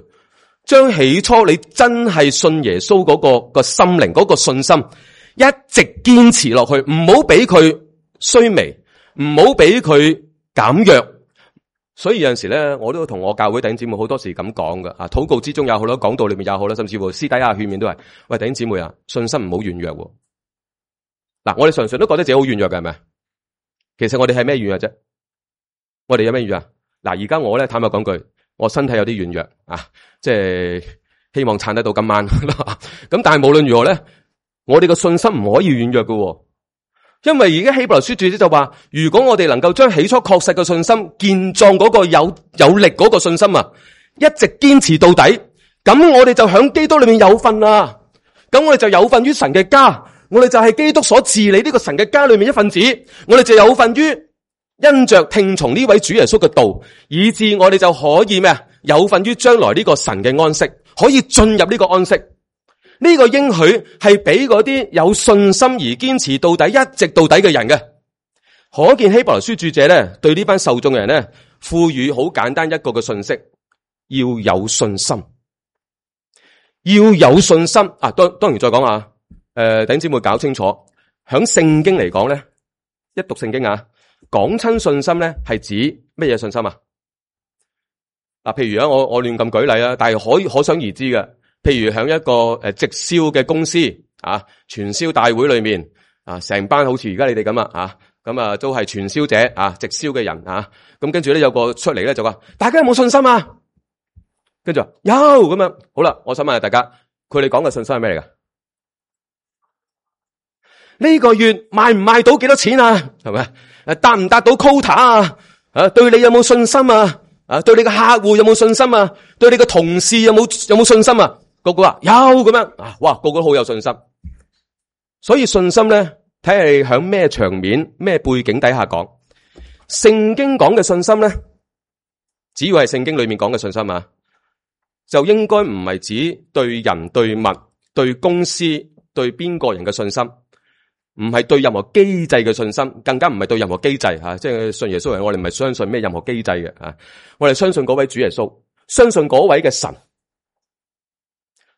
將起初你真係信耶穌嗰個心靈嗰個信心一直堅持落去，唔好俾佢衰微，唔好俾佢減弱。所以有陣時咧，我都同我教會弟兄姊妹好多時咁講噶啊，禱告之中有好多，講道裏面有好啦，甚至乎私底下勸勉都係，喂，弟兄姊妹啊，信心唔好軟弱。嗱，我哋常常都覺得自己好軟弱嘅，係咪？其實我哋係咩軟弱啫？我哋有咩軟弱？嗱，而家我咧坦白講句，我身體有啲軟弱啊，即係希望撐得到今晚。咁但係無論如何咧，我哋個信心唔可以軟弱嘅，因為而家希伯來書著者就話，如果我哋能夠將起初確實嘅信心健壯嗰個有力嗰個信心啊，一直堅持到底，咁我哋就響基督裏面有份啦。咁我哋就有份於神嘅家。我哋就係基督所治理呢個神嘅家裏面一份子，我哋就有份於因着聽從呢位主耶穌嘅道，以致我哋就可以咩啊？有份於將來呢個神嘅安息，可以進入呢個安息。呢個應許係俾嗰啲有信心而堅持到底、一直到底嘅人嘅。可見希伯來書著者咧，對呢班受眾嘅人咧，賦予好簡單一個嘅信息：要有信心，要有信心啊！當然再講啊。弟兄姊妹搞清楚，響聖經嚟講咧，一讀聖經啊，講親信心咧係指乜嘢信心啊？嗱，譬如我亂咁舉例啊，但係可想而知嘅。譬如響一個直銷嘅公司啊，傳銷大會裏面啊，成班好似而家你哋咁啊，咁啊都係傳銷者啊，直銷嘅人啊，咁跟住咧有個出嚟咧就話，大家有冇信心啊？跟住話有咁樣，好啦，我想問下大家，佢哋講嘅信心係咩嚟噶？呢個月賣唔賣到幾多錢啊？係咪？達唔達到 quota 啊？對你有冇信心啊？對你嘅客戶有冇信心啊？對你嘅同事有冇信心啊？個個話有咁樣啊！哇，個個都好有信心。所以信心咧，睇下你響咩場面、咩背景底下講。聖經講嘅信心咧，只要係聖經裏面講嘅信心啊，就應該唔係指對人、對物、對公司、對邊個人嘅信心，唔係對任何機制嘅信心，更加唔係對任何機制吓，即係信耶穌人，我哋唔係相信咩任何機制嘅啊，我哋相信嗰位主耶穌，相信嗰位嘅神。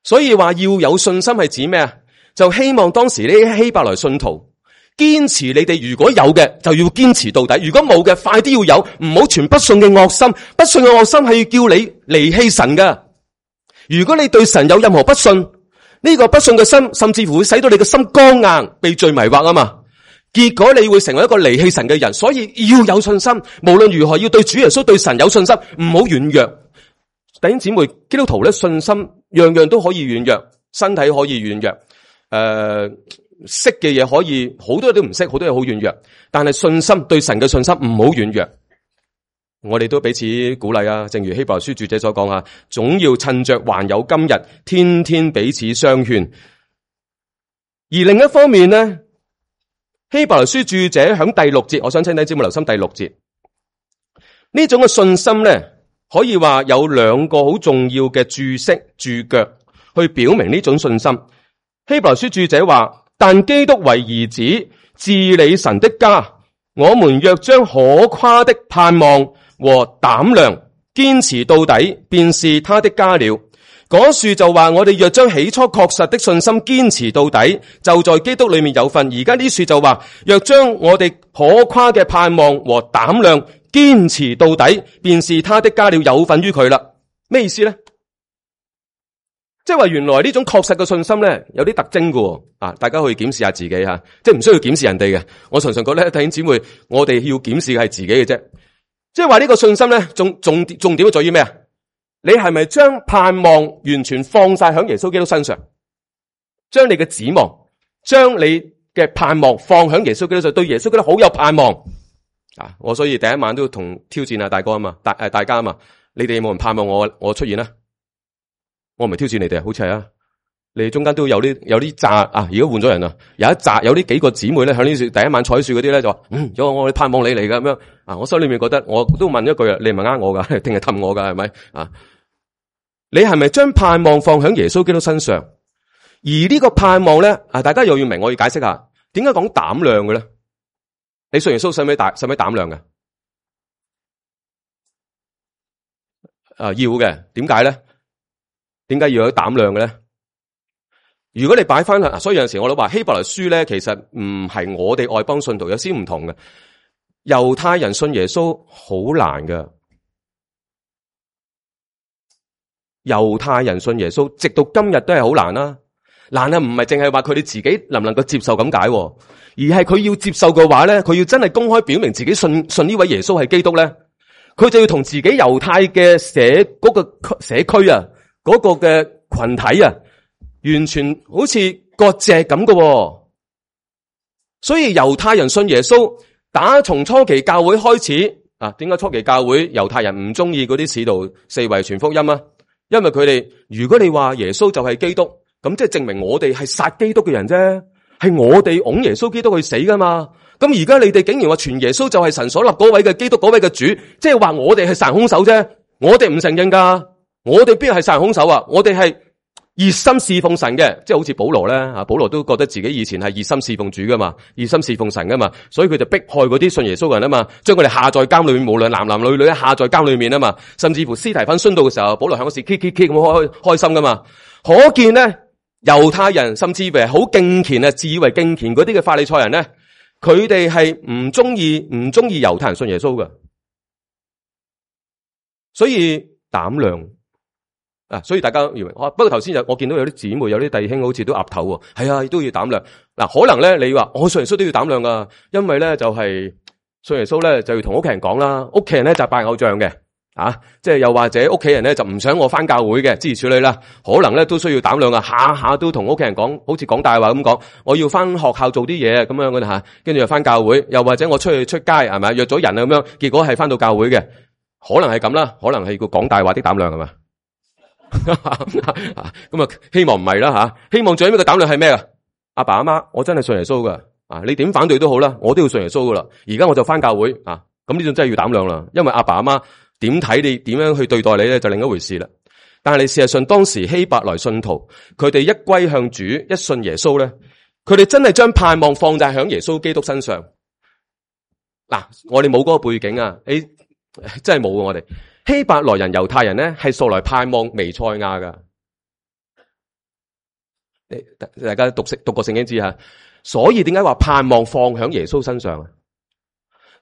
所以話要有信心係指咩啊？就希望當時呢啲希伯來信徒堅持，你哋如果有嘅就要堅持到底，如果冇嘅快啲要有，唔好存不信嘅惡心。不信嘅惡心係要叫你離棄神噶。如果你對神有任何不信，呢個不信嘅心甚至乎會使到你嘅心剛硬，被罪迷惑啊嘛。結果你會成為一個離棄神嘅人。所以要有信心，無論如何要對主耶穌、對神有信心，唔好軟弱。弟兄姊妹，基督徒咧，信心樣樣都可以軟弱，身體可以軟弱，識嘅嘢可以好多嘢都唔識，好多嘢好軟弱。但係信心，對神嘅信心唔好軟弱。我哋都彼此鼓勵啊！正如希伯來書著者所講啊，總要趁着還有今日，天天彼此相勸。而另一方面呢，希伯來書著者響第6節，我想請弟兄姊妹留心第6節，呢種嘅信心咧，可以話有兩個好重要嘅注釋注腳去表明呢種信心。希伯來書著者話，但基督為兒子，治理神的家，我們若將可誇的盼望和膽量堅持到底，便是他的家了。嗰樹就話，我哋若將起初確實的信心堅持到底，就在基督裏面有份。而家呢樹就話，若將我哋可誇嘅盼望和膽量堅持到底，便是他的家了，有份於佢啦。咩意思咧？即係話原來呢種確實嘅信心咧，有啲特徵嘅啊！大家可以檢視下自己吓，即係唔需要檢視人哋嘅。我常常覺得弟兄姊妹，我哋要檢視嘅係自己嘅啫。即係話呢個信心咧，重點在於咩啊？你係咪將盼望完全放晒響耶穌基督身上？將你嘅指望，將你嘅盼望放響耶穌基督上，對耶穌基督好有盼望啊！我所以第一晚都同挑戰啊大哥啊嘛，大家啊嘛，你哋有冇人盼望我出現啊？我唔係挑戰你哋，好似係啊！你哋中間都有啲紮啊！而家換咗人啊，有呢幾個姊妹咧，響呢樹第一晚坐樹嗰啲咧就話，我哋盼望你嚟噶咁樣啊！我心裏面覺得，我都問一句啊，你係咪呃我噶，定係氹我噶，係咪啊？你係咪將盼望放響耶穌基督身上？而呢個盼望咧啊，大家又要明，我要解釋下，點解講膽量嘅咧？你信耶穌使唔使膽量嘅？啊，要嘅，點解咧？點解要有膽量嘅咧？如果你擺翻去，所以有陣時我都話希伯來書咧，其實唔係我哋外邦信徒有啲唔同嘅。猶太人信耶穌好難㗎，猶太人信耶穌直到今日都係好難啦。難啊，唔係淨係話佢哋自己能唔能夠接受咁解，而係佢要接受嘅話咧，佢要真係公開表明自己信呢位耶穌係基督咧，佢就要同自己猶太嘅嗰個社區啊，嗰個嘅群體啊，完全好似割席咁嘅。所以猶太人信耶穌，打從初期教會開始啊，點解初期教會猶太人唔中意嗰啲使徒四圍傳福音啊？因為佢哋如果你話耶穌就係基督，咁即係證明我哋係殺基督嘅人啫，係我哋擁耶穌基督去死噶嘛。咁而家你哋竟然話傳耶穌就係神所立嗰位嘅基督，嗰位嘅主，即係話我哋係殺人兇手啫。我哋唔承認噶，我哋邊係殺人兇手啊？我哋係熱心侍奉神嘅，即係好似保羅咧啊，保羅都覺得自己以前係熱心侍奉主噶嘛，熱心侍奉神噶嘛，所以佢就迫害嗰啲信耶穌嘅人啊嘛，將佢哋下在監裏面，無論男男女女下在監裏面啊嘛，甚至乎司提反殉道嘅時候，保羅響嗰時 k 咁開心噶嘛，可見咧猶太人甚至乎好敬虔啊，自以為敬虔嗰啲嘅法利賽人咧，佢哋係唔中意猶太人信耶穌嘅，所以膽量。啊，所以大家以為，不過頭先我見到有啲姊妹、有啲弟兄好似都岌頭喎，係啊，都要膽量。嗱，可能咧你話我信耶穌都要膽量噶，因為咧就係信耶穌咧就要同屋企人講啦，屋企人咧就拜偶像嘅，啊，即係又或者屋企人咧就唔想我翻教會嘅，諸如此類啦，可能咧都需要膽量啊，下下都同屋企人講，好似講大話咁講，我要翻學校做啲嘢咁樣嘅吓，跟住又翻教會，又或者我出去出街係咪約咗人啊咁樣，結果係翻到教會嘅，可能係咁啦，可能係個講大話啲膽量係嘛？咁啊，希望唔係啦吓，希望最尾嘅膽量係咩啊？阿爸阿媽，我真係信耶穌噶，啊，你點反對都好啦，我都要信耶穌噶啦。而家我就翻教會啊，咁呢種真係要膽量啦。因為阿爸阿媽點睇你，點樣去對待你咧，就另一回事啦。但係你事實上當時希伯來信徒，佢哋一歸向主，一信耶穌咧，佢哋真係將盼望放在響耶穌基督身上。嗱，我哋冇嗰個背景啊，你真係冇我哋希伯來人、猶太人咧，係素來盼望彌賽亞噶。大家讀過聖經知吓，所以點解話盼望放響耶穌身上啊？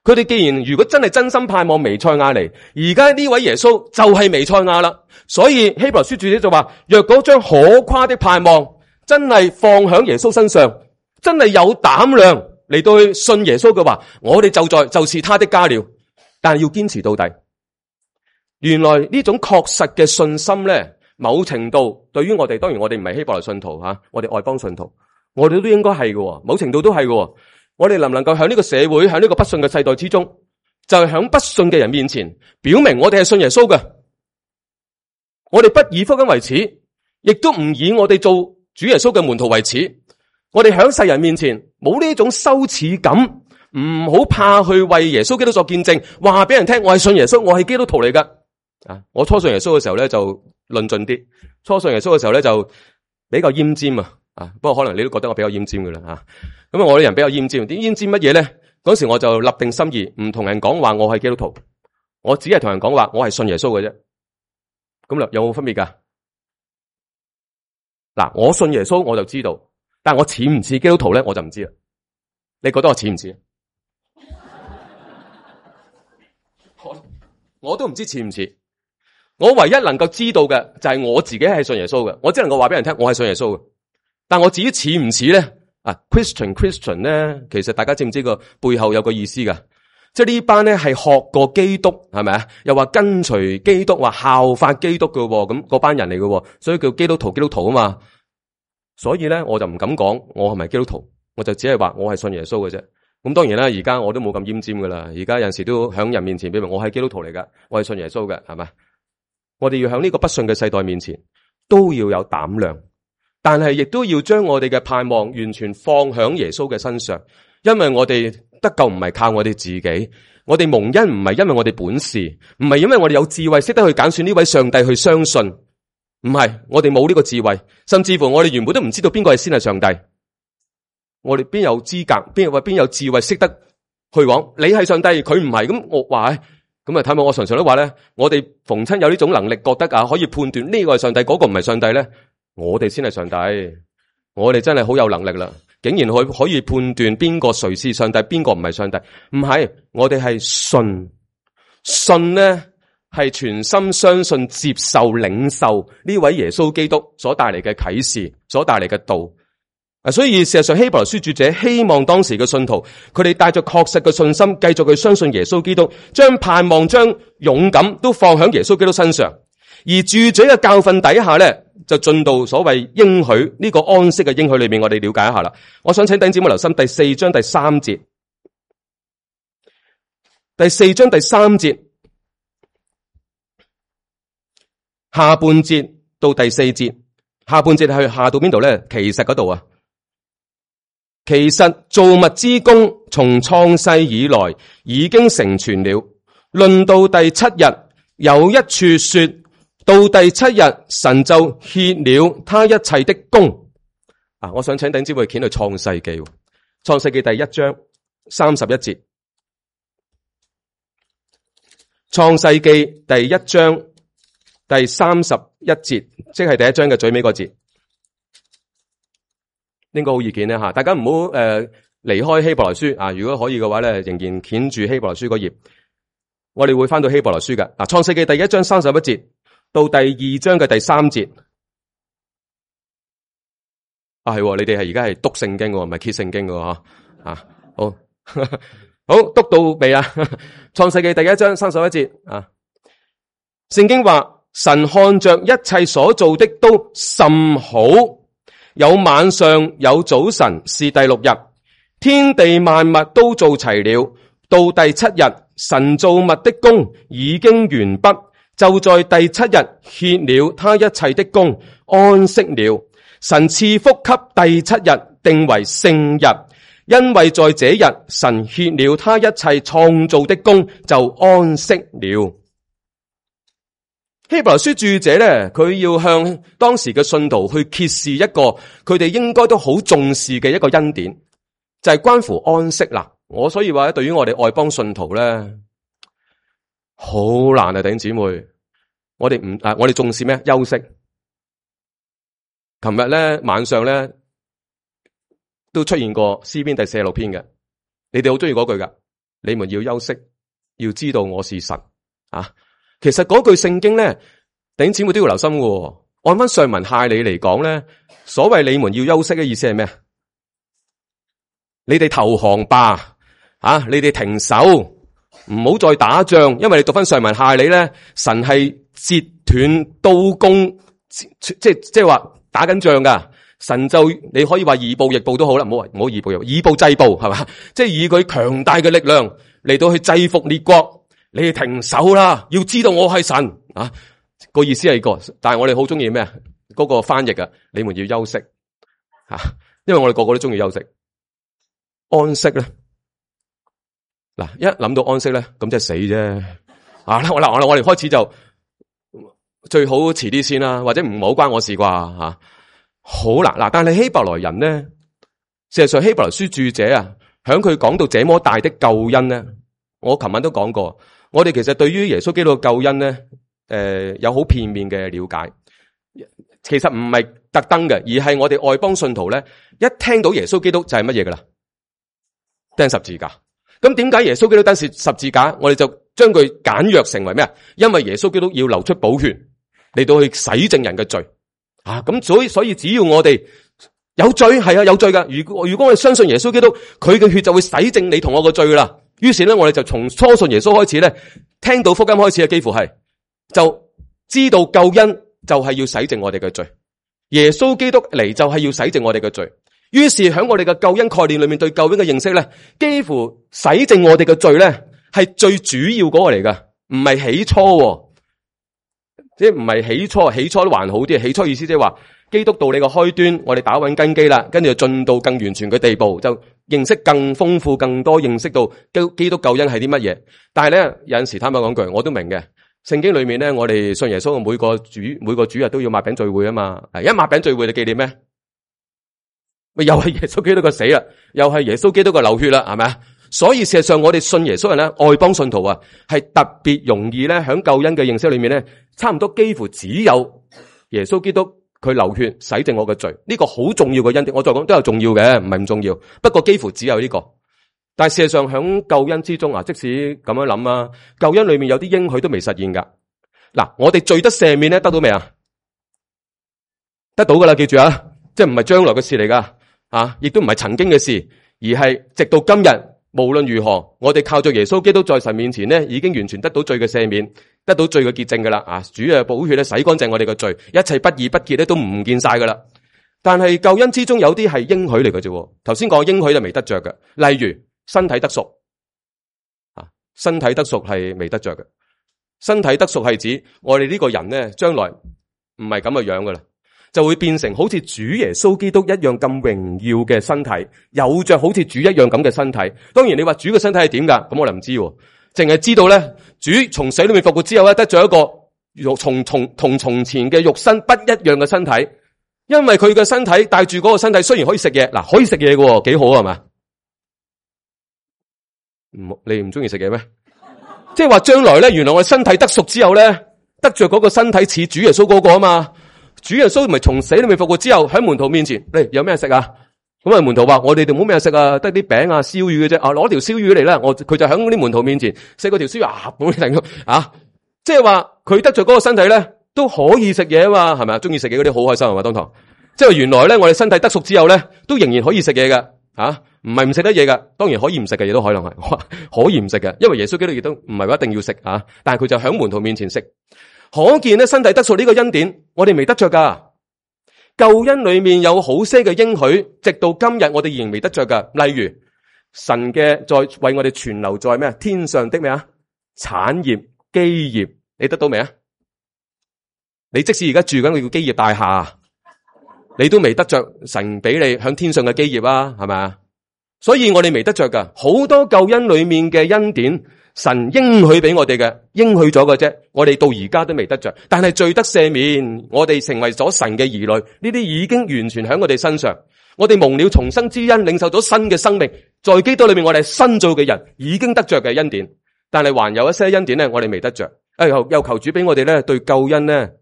佢哋既然如果真係真心盼望彌賽亞嚟，而家呢位耶穌就係彌賽亞啦。所以希伯來書作者就話：若果將可誇的盼望真係放響耶穌身上，真係有膽量嚟到去信耶穌嘅話，我哋就是他的家了。但係要堅持到底。原來呢種確實嘅信心咧，某程度對於我哋，當然我哋唔係希伯來信徒吓，我哋外邦信徒，我哋都應該係嘅，某程度都係嘅。我哋能唔能夠喺呢個社會，喺呢個不信嘅世代之中，就係喺不信嘅人面前，表明我哋係信耶穌嘅。我哋不以福音為恥，亦都唔以我哋做主耶穌嘅門徒為恥。我哋喺世人面前冇呢種羞恥感，唔好怕去為耶穌基督作見證，話俾人聽我係信耶穌，我係基督徒嚟噶。啊，我初信耶穌嘅時候咧就論盡啲，初信耶穌嘅時候咧就比較奄尖啊。啊，不過可能你都覺得我比較奄尖噶啦吓。咁我啲人比較奄尖，啲奄尖乜嘢咧？嗰時我就立定心意，唔同人講話我係基督徒，我只係同人講話我係信耶穌嘅啫。咁啦，有冇分別噶？嗱，我信耶穌我就知道，但係我似唔似基督徒咧，我就唔知啦。你覺得我似唔似？我都唔知似唔似。我唯一能夠知道嘅就係我自己係信耶穌嘅，我只能夠話俾人聽我係信耶穌嘅。但我至於似唔似咧？啊 ，Christian 咧，其實大家知唔知個背後有個意思噶？即係呢班咧係學過基督，係咪啊？又話跟隨基督，話效法基督嘅，咁嗰班人嚟嘅，所以叫基督徒啊嘛。所以咧，我就唔敢講我係咪基督徒，我就只係話我係信耶穌嘅啫。咁當然啦，而家我都冇咁奄尖噶啦。而家有陣時都響人面前表明我係基督徒嚟噶，我係信耶穌嘅，係咪？我哋要響呢個不信嘅世代面前都要有膽量。但係亦都要將我哋嘅盼望完全放響耶穌嘅身上，因為我哋得救唔係靠我哋自己，我哋蒙恩唔係因為我哋本事，唔係因為我哋有智慧識得去揀選呢位上帝去相信，唔係，我哋冇呢個智慧，甚至乎我哋原本都唔知道邊個係先係上帝，我哋邊有資格，邊有智慧識得去講你係上帝，佢唔係，咁我話咁啊，睇下我常常都話咧，我哋逢親有呢種能力，覺得啊可以判斷呢個係上帝，嗰個唔係上帝咧。我哋先係上帝，我哋真係好有能力啦！竟然可以判斷邊個誰是上帝，邊個唔係上帝？唔係，我哋係信呢係全心相信、接受、領受呢位耶穌基督所帶嚟嘅啟示，所帶嚟嘅道。所以事實上希伯來書作者希望當時嘅信徒，佢哋帶着確實嘅信心，繼續去相信耶穌基督，將盼望、將勇敢都放喺耶穌基督身上。而住嘴嘅教訓底下咧，就進到所謂應許呢個安息嘅應許裏面，我哋了解一下啦。我想請弟兄姊妹留心第4章第3節，第4章第3節下半節到第4節，下半節係下到邊度咧？其實嗰度啊，其實造物之功從創世以來已經成全了。論到第7日，有一處說，到第7日，神就歇了他一切的功。啊，我想請弟兄姊妹掀去創世記，創世記第1章31節，創世記第1章第31節，即係第1章嘅最尾個節，應該好易見咧吓。大家唔好離開希伯來書啊，如果可以嘅話咧，仍然掀住希伯來書嗰頁，我哋會翻到希伯來書嘅。嗱，創世記第1章31節。到第2章嘅第3節，係你哋係而家係讀聖經嘅，唔係揭聖經嘅嗬。啊，好好讀到未啊？創世記第1章31節啊，聖經話神看着一切所做的都甚好，有晚上有早晨，是第6日，天地萬物都做齊了。到第7日，神造物的工已經完畢。就在第7日歇了他一切的工，安息了。神賜福給第7日，定為聖日，因為在這日神歇了他一切創造的工，就安息了。希伯來書著者咧，佢要向當時嘅信徒去揭示一個佢哋應該都好重視嘅一個恩典，就係關乎安息啦。我所以話咧，對於我哋外邦信徒咧，好難啊，弟兄姊妹，我哋重視咩？休息。琴日咧晚上咧都出現過詩篇第46篇嘅，你哋好中意嗰句噶，你們要休息，要知道我是神啊。其實嗰句聖經咧，弟兄姊妹都要留心嘅。按翻上文下理嚟講咧，所謂你們要休息嘅意思係咩？你哋投降吧，你哋停手，唔好再打仗。因為你讀翻上文下理咧，神係截斷刀弓，即係話打緊仗噶。神就你可以話以暴易暴都好啦，唔好以暴制暴係嘛？即係以佢強大嘅力量嚟到去制服列國。你哋停手啦！要知道我係神啊！個意思係個，但係我哋好中意咩？嗰個翻譯啊，你們要休息因為我哋個個都中意休息。安息咧，嗱一諗到安息咧，咁即係死啫。我哋開始就最好遲啲先啦，或者唔好關我事啩吓。好嗱，但係希伯來人咧，事實上希伯來書著者啊，響佢講到這麼大的救恩咧，我琴晚都講過。我哋其實對於耶穌基督嘅救恩咧，有好片面嘅了解。其實唔係特登嘅，而係我哋外邦信徒咧，一聽到耶穌基督就係乜嘢噶啦？釘十字架。咁點解耶穌基督釘十字架？我哋就將佢簡約成為咩啊？因為耶穌基督要流出寶血嚟到去洗淨人嘅罪啊！咁所以只要我哋有罪，係有罪噶。如果我哋相信耶穌基督，佢嘅血就會洗淨你同我嘅罪噶啦。於是咧，我哋就從初信耶穌開始咧，聽到福音開始嘅，幾乎係就知道救恩就係要洗淨我哋嘅罪。耶穌基督嚟就係要洗淨我哋嘅罪。於是喺我哋嘅救恩概念裏面，對救恩嘅認識咧，幾乎洗淨我哋嘅罪咧，係最主要嗰個嚟噶，唔係起初，即係唔係起初都還好啲。起初意思即係話，基督道理嘅開端，我哋打穩根基啦，跟住就進到更完全嘅地步，就認識更豐富、更多，認識到基督救恩係啲乜嘢。但係咧，有陣時坦白講句，我都明嘅。聖經裏面咧，我哋信耶穌嘅每個主日都要擘餅聚會啊嘛。一擘餅聚會，你紀念咩？咪又係耶穌基督嘅死啦，又係耶穌基督嘅流血啦，係咪啊？所以事實上，我哋信耶穌人咧，外邦信徒啊，係特別容易咧，響救恩嘅認識裏面咧，差唔多幾乎只有耶穌基督。佢流血洗淨我嘅罪，呢個好重要嘅恩典。我再講都有重要嘅，唔係唔重要。不過幾乎只有呢個。但係事實上響救恩之中啊，即使咁樣諗啊，救恩裏面有啲應許都未實現噶。嗱，我哋罪得赦免咧，得到未啊？得到噶啦，記住啊，即係唔係將來嘅事嚟噶，亦都唔係曾經嘅事，而係直到今日，無論如何，我哋靠着耶穌基督在神面前咧，已經完全得到罪嘅赦免。得到罪嘅潔淨噶啦，主嘅寶血咧洗乾淨我哋嘅罪，一切不義不潔咧都唔見晒噶啦。但係救恩之中有啲係應許嚟嘅啫。頭先講應許就未得着嘅，例如身體得贖，身體得贖係未得着嘅。身體得贖係指我哋呢個人咧，將來唔係咁嘅樣噶啦，就會變成好似主耶穌基督一樣咁榮耀嘅身體，有着好似主一樣咁嘅身體。當然你話主嘅身體係點噶？咁我哋唔知。淨係知道咧，主從死裏面復活之後咧，得咗一個同從前嘅肉身不一樣嘅身體，因為佢嘅身體帶住嗰個身體，雖然可以食嘢，可以食嘢嘅，幾好係嘛？你唔中意食嘢咩？即係話將來咧，原來我身體得贖之後咧，得着嗰個身體似主耶穌嗰個啊嘛。主耶穌唔係從死裏面復活之後喺門徒面前，嚟有咩食啊？咁啊，門徒話：我哋冇咩食啊，得啲餅啊、燒魚嘅啫。攞條燒魚嚟啦，佢就喺嗰啲門徒面前食嗰條燒魚咁停即係話佢得着嗰個身體咧，都可以食嘢啊嘛，係咪啊？中意食嘢嗰啲好開心係嘛？當堂即係原來咧，我哋身體得贖之後咧，都仍然可以食嘢嘅唔係唔食得嘢嘅。當然可以唔食嘅嘢都可能係可以唔食嘅，因為耶穌基督亦都唔係話一定要食但係佢就喺門徒面前食。可見咧，身體得贖呢個恩典，我哋未得着噶。救恩裏面有好些嘅應許，直到今日我哋仍然未得着噶。例如神嘅在為我哋存留在咩天上的咩產業基業，你得到未啊？你即使而家住緊個叫基業大廈，你都未得着神俾你響天上嘅基業啊，係咪啊？所以我哋未得着噶，好多救恩裏面嘅恩典，神應許俾我哋嘅，應許咗嘅啫，我哋到而家都未得着。但係罪得赦免，我哋成為咗神嘅兒女，呢啲已經完全喺我哋身上。我哋蒙了重生之恩，領受咗新嘅生命，在基督裏面我哋係新造嘅人，已經得着嘅恩典。但係還有一些恩典咧，我哋未得着。又求主俾我哋咧對救恩咧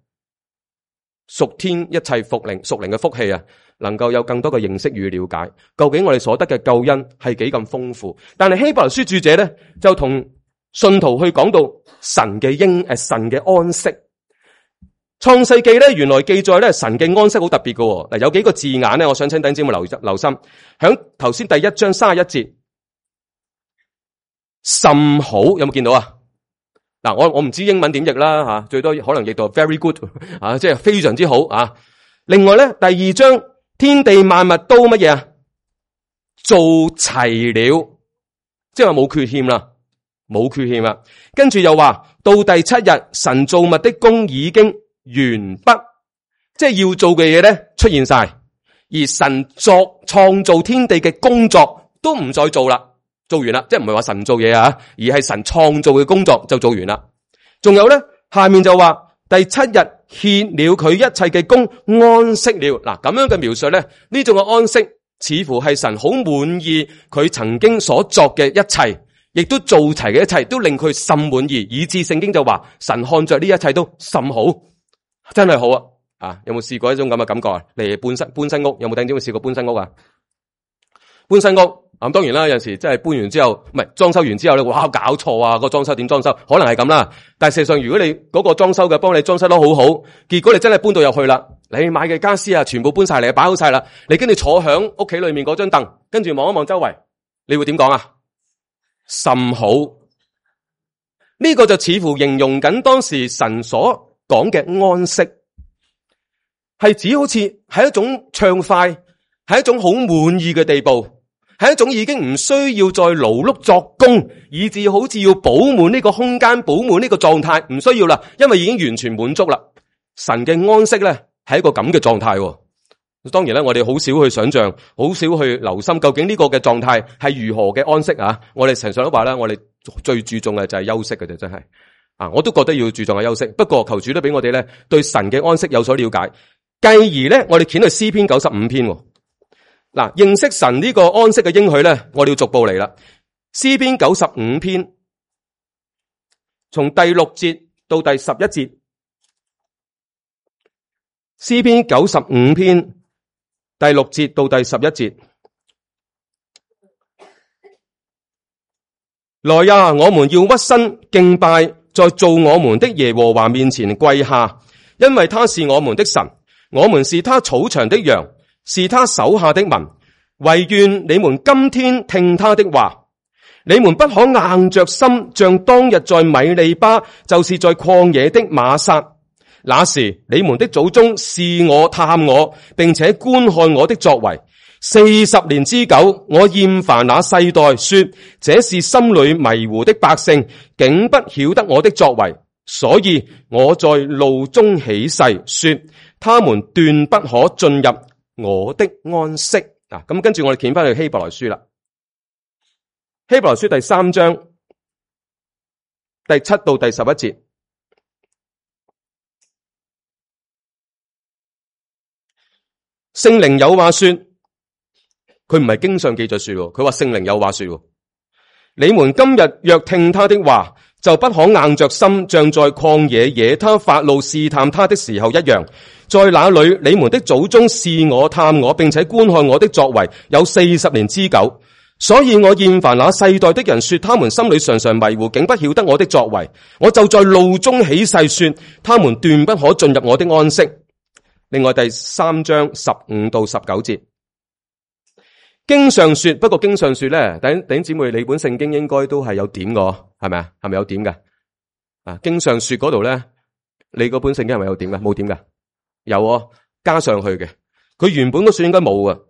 屬天一切屬靈嘅福氣啊，能夠有更多嘅認識與了解，究竟我哋所得嘅救恩係幾咁豐富。但係希伯來書著者咧就同信徒去講到神嘅神嘅安息。創世記咧原來記載咧神嘅安息好特別嘅。嗱，有幾個字眼咧，我想請弟兄姊妹留心。響頭先第1章31節，甚好，有冇見到啊？嗱，我唔知英文點譯啦吓，最多可能譯到 very good 啊，即係非常之好啊。另外咧，第2章天地萬物都乜嘢啊？做齊了，即係話冇缺欠啦，冇缺欠啦。跟住又話到第7日，神造物的工已經完畢，即係要做嘅嘢咧出現晒，而神創造天地嘅工作都唔再做啦。做完啦，即係唔係話神做嘢啊，而係神創造嘅工作就做完啦。仲有咧，下面就話第7日歇了佢一切嘅工，安息了。嗱，咁樣嘅描述咧，呢種嘅安息似乎係神好滿意佢曾經所作嘅一切，亦都做齊嘅一切，都令佢甚滿意，以致聖經就話神看着呢一切都甚好，真係好啊！啊，有冇試過一種咁嘅感覺啊？嚟搬新屋，有冇弟兄姊妹試過搬新屋啊？搬新屋。咁當然啦，有陣時真係搬完之後，唔係裝修完之後咧，哇搞錯啊！個裝修點裝修，可能係咁啦。但係事實上，如果你嗰個裝修嘅幫你裝修得好好，結果你真係搬到入去啦，你買嘅家私啊，全部搬晒嚟，擺好晒啦，你跟住坐響屋企裏面嗰張凳，跟住望一望周圍，你會點講啊？甚好。呢個就似乎形容緊當時神所講嘅安息，係指好似係一種暢快，係一種好滿意嘅地步。係一種已經唔需要再勞碌作工，以至好似要補滿呢個空間，補滿呢個狀態，唔需要啦，因為已經完全滿足啦。神嘅安息咧係一個咁嘅狀態。當然咧，我哋好少去想象，好少去留心究竟呢個嘅狀態係如何嘅安息啊。我哋常常都話咧，我哋最注重嘅就係休息嘅啫，真係啊，我都覺得要注重嘅休息。不過求主都俾我哋咧對神嘅安息有所了解，繼而咧我哋捲去詩篇95篇。嗱，認識神呢個安息嘅應許咧，我哋要逐步嚟啦。詩篇95篇，從第6節到第11節。詩篇95篇，第6節到第11節。來呀，我們要屈身敬拜，在造我們的耶和華面前跪下，因為他是我們的神，我們是他草場的羊，是他手下的民，惟願你們今天聽他的話。你們不可硬着心，像當日在米利巴，就是在曠野的瑪撒。那時你們的祖宗試我探我，並且觀看我的作為。40年之久，我厭煩那世代，說這是心裏迷糊的百姓，竟不曉得我的作為。所以我在怒中起誓，說他們斷不可進入我的安息。咁跟住我哋掀翻去希伯來書啦。希伯來書第3章第7到第11節。聖靈有話說，佢唔係經上記著說，佢話聖靈有話說，你們今日若聽他的話，就不可硬着心，像在曠野惹他發怒試探他的時候一樣。在那裏你們的祖宗試我探我，並且觀看我的作為，有40年之久。所以我厭煩那世代的人，說他們心裏常常迷糊，竟不曉得我的作為。我就在怒中起誓，說他們斷不可進入我的安息。另外第3章15到19節，經上說，不過經上說咧，弟兄姊妹，你本聖經應該都係有點嘅，係咪啊？係咪有點嘅？啊，經上說嗰度咧，你嗰本聖經係咪有點嘅？冇點嘅？有加上去嘅。佢原本嗰書應該冇嘅。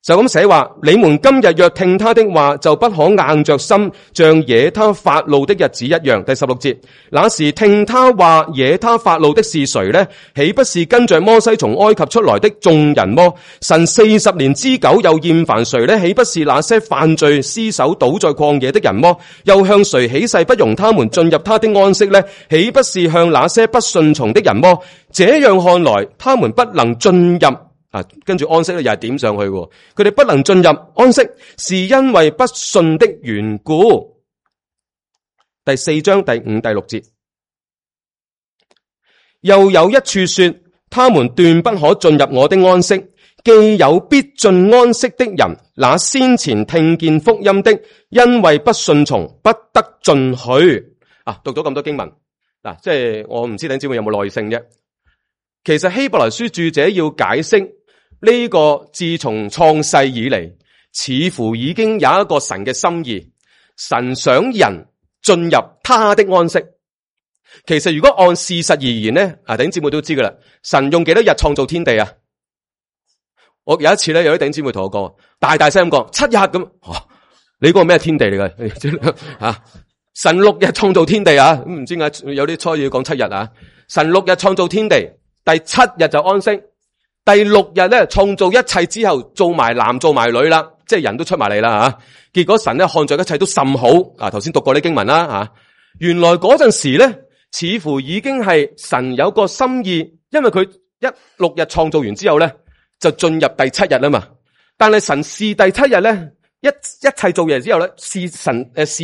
就咁寫話，你們今日若聽他的話，就不可硬着心，像惹他發怒的日子一樣。第16節，那時聽他話惹他發怒的是誰呢？豈不是跟着摩西從埃及出來的眾人麼？神40年之久又厭煩誰呢？豈不是那些犯罪屍首倒在曠野的人麼？又向誰起誓不容他們進入他的安息呢？豈不是向那些不順從的人麼？這樣看來，他們不能進入。跟住安息咧，又係點上去嘅。佢哋不能進入安息，是因為不信的緣故。第4章第5、第6節，又有一處說，他們斷不可進入我的安息。既有必進安息的人，那先前聽見福音的，因為不順從，不得進去。讀咗咁多經文，即係我唔知弟兄姊妹有冇耐性啫。其實希伯來書著者要解釋。呢個自從創世以嚟，似乎已經有一個神嘅心意，神想人進入他的安息。其實如果按事實而言咧，弟兄姊妹都知噶啦，神用幾多日創造天地啊？我有一次咧，有啲弟兄姊妹同我講，大聲咁講7日咁，你嗰個咩天地嚟噶？神6日創造天地啊，唔知點解有啲初要講7日啊？神6日創造天地，第7日就安息。第6日咧，創造一切之後，做埋男做埋女啦，即係人都出埋嚟啦吓。結果神咧看着一切都甚好。頭先讀過啲經文啦吓。原來嗰陣時咧，似乎已經係神有個心意，因為佢6日創造完之後咧，就進入第7日啦嘛。但係神視第7日咧，一切做嘢之後咧，視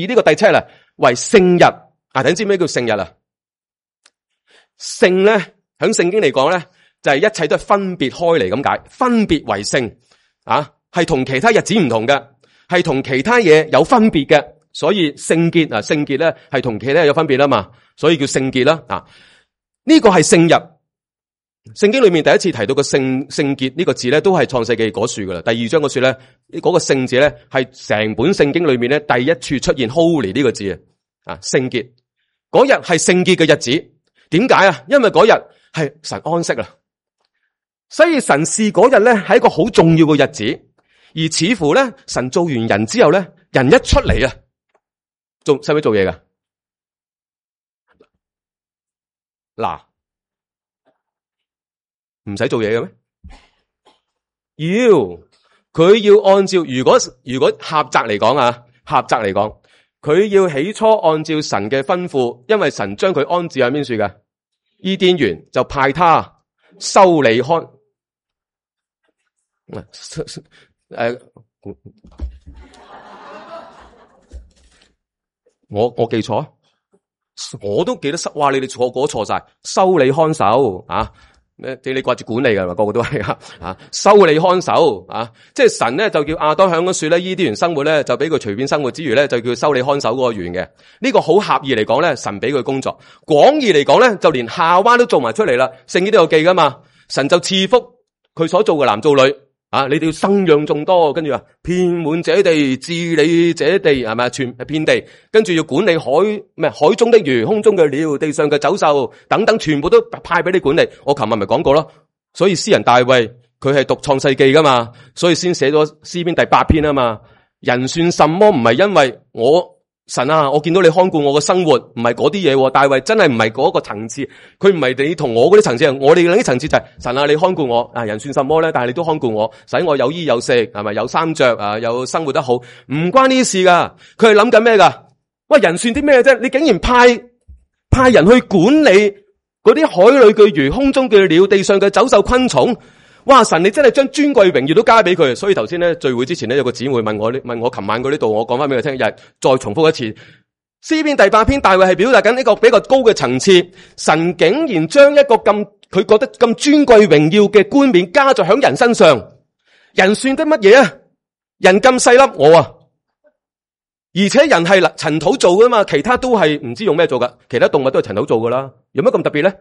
呢個第7日為聖日。你知咩叫聖日啊？聖咧喺聖經嚟講咧，就係一切都係分別開嚟咁解，分別為聖係同其他日子唔同嘅，係同其他嘢有分別嘅，所以聖潔聖潔咧係同其他嘢有分別啦嘛，所以叫聖潔啦。呢個係聖日。聖經裏面第一次提到個聖潔呢個字咧，都係創世記嗰處噶啦。第2章嗰處咧，嗰個聖字咧係成本聖經裏面咧第一處出現 holy 呢個字聖潔。嗰日係聖潔嘅日子，點解啊？因為嗰日係神安息啦。所以神視嗰日咧係一個好重要嘅日子，而似乎咧神做完人之後咧，人一出嚟啊，使唔使做嘢噶？唔使做嘢嘅咩？佢要按照如果狹窄嚟講，佢要起初按照神嘅吩咐，因為神將佢安置喺邊處嘅伊甸園，就派他修理看。我記錯，我都記得哇！你哋錯晒，修理看守你掛住管理噶嘛？個個都係修理看守即係神咧就叫亞當響嗰樹咧伊甸園生活咧，就俾佢隨便生活之餘咧，就叫修理看守嗰個園嘅。呢個好狹義嚟講咧，神俾佢工作；廣義嚟講咧，就連夏娃都做埋出嚟啦。聖經都有記噶嘛？神就賜福佢所做嘅男做女你哋要生養眾多，跟住話遍滿這地，治理這地，係咪全遍地？跟住要管理海中的魚，空中嘅鳥，地上嘅走獸等等，全部都派俾你管理。我琴日咪講過咯，所以詩人大衛佢係讀創世記噶嘛，所以先寫咗詩篇第8篇啊嘛。人算什麼？唔係因為神我見到你看顧我嘅生活，唔係嗰啲嘢。大衛真係唔係嗰個層次，佢唔係你同我嗰啲層次，我哋嗰啲層次就係神你看顧我人算什麼咧？但係你都看顧我，使我有衣有食，係咪有衫着有生活得好？唔關呢啲事噶，佢係諗緊咩噶？喂，人算啲咩啫？你竟然派人去管理嗰啲海裏嘅魚、空中嘅鳥、地上嘅走獸昆蟲。哇！神你真係將尊貴榮耀都加俾佢，所以頭先咧聚會之前咧有個姊妹問我琴晚嗰啲度，我講翻俾佢聽，又係再重複一次。詩篇第8篇，大衛係表達緊呢個比較高嘅層次，神竟然將一個佢覺得咁尊貴榮耀嘅冠冕加在響人身上，人算得乜嘢啊？人咁細粒我而且人係塵土做噶嘛，其他都係唔知用咩做噶，其他動物都係塵土做噶啦，有乜咁特別咧？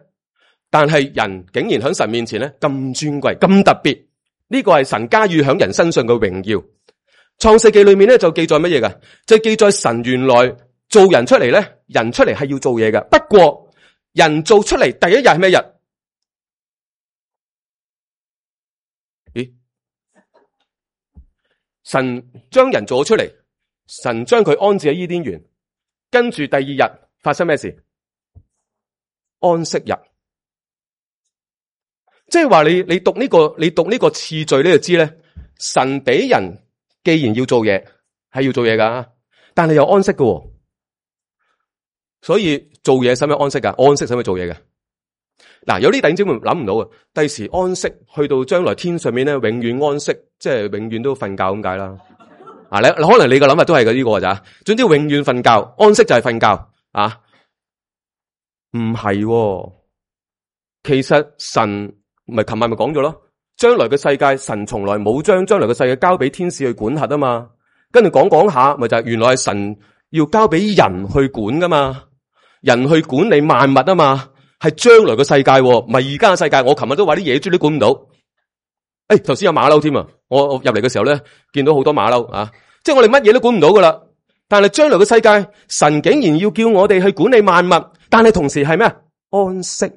但係人竟然喺神面前咧咁尊貴咁特別，呢個係神加予響人身上嘅榮耀。創世記裏面咧就記載乜嘢噶？就記載神原來做人出嚟咧，人出嚟係要做嘢噶。不過人做出嚟第一日係咩日？神將人做咗出嚟，神將佢安置喺伊甸園，跟住第二日發生咩事？安息日。即係話你讀呢個次序你就知咧，神俾人既然要做嘢，係要做嘢噶，但係又安息噶，所以做嘢使唔使安息噶？安息使唔使做嘢嘅？嗱，有啲弟兄姊妹諗唔到啊，第時安息去到將來天上面咧，永遠安息，即係永遠都瞓覺咁解啦。啊，你可能你個諗法都係呢個咋？總之永遠瞓覺，安息就係瞓覺啊？唔係，其實神。咪琴晚咪講咗咯，將來嘅世界神從來冇將將來嘅世界交俾天使去管轄啊嘛，跟住講下，咪就係原來係神要交俾人去管噶嘛，人去管理萬物啊嘛，係將來嘅世界，唔係而家嘅世界。我琴日都話啲野豬都管唔到，頭先有馬騮添啊，我入嚟嘅時候咧見到好多馬騮啊，即係我哋乜嘢都管唔到噶啦，但係將來嘅世界，神竟然要叫我哋去管理萬物，但係同時係咩啊？安息。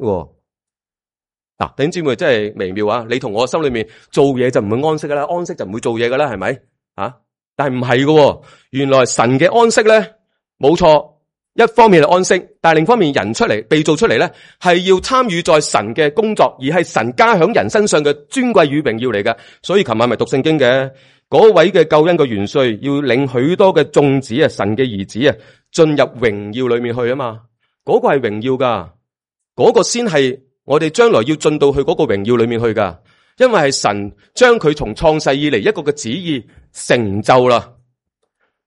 嗱，弟兄姊妹真係微妙啊！你同我心裏面做嘢就唔會安息噶啦，安息就唔會做嘢噶啦，係咪啊？但係唔係喎，原來神嘅安息咧，冇錯，一方面係安息，但係另一方面人出嚟被造出嚟咧，係要參與在神嘅工作，而係神加喺人身上嘅尊貴與榮耀嚟嘅。所以琴晚咪讀聖經嘅，嗰位嘅救恩嘅元帥要領許多嘅眾子啊，神嘅兒子啊，進入榮耀裏面去啊嘛，嗰個係榮耀噶，嗰個先係。我哋將來要進到去嗰個榮耀裏面去噶，因為係神將佢從創世以嚟一個嘅旨意成就啦。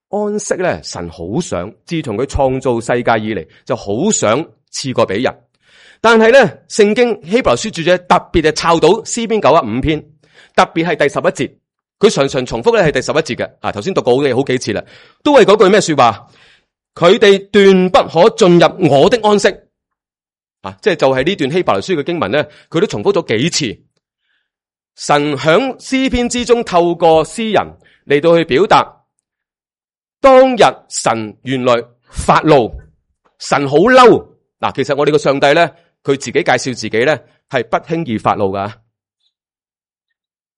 安息咧，神好想，自從佢創造世界以嚟，就好想賜過俾人。但係咧，聖經希伯來書作者特別係抄到詩篇95篇，特別係第11節，佢常常重複咧係第11節嘅。啊，頭先讀過好幾次啦，都係嗰句咩說話？佢哋斷不可進入我的安息。即係就係呢段希伯來書嘅經文咧，佢都重複咗幾次。神響詩篇之中透過詩人嚟到去表達，當日神原來發怒，神好嬲。嗱，其實我哋個上帝咧，佢自己介紹自己咧係不輕易發怒噶。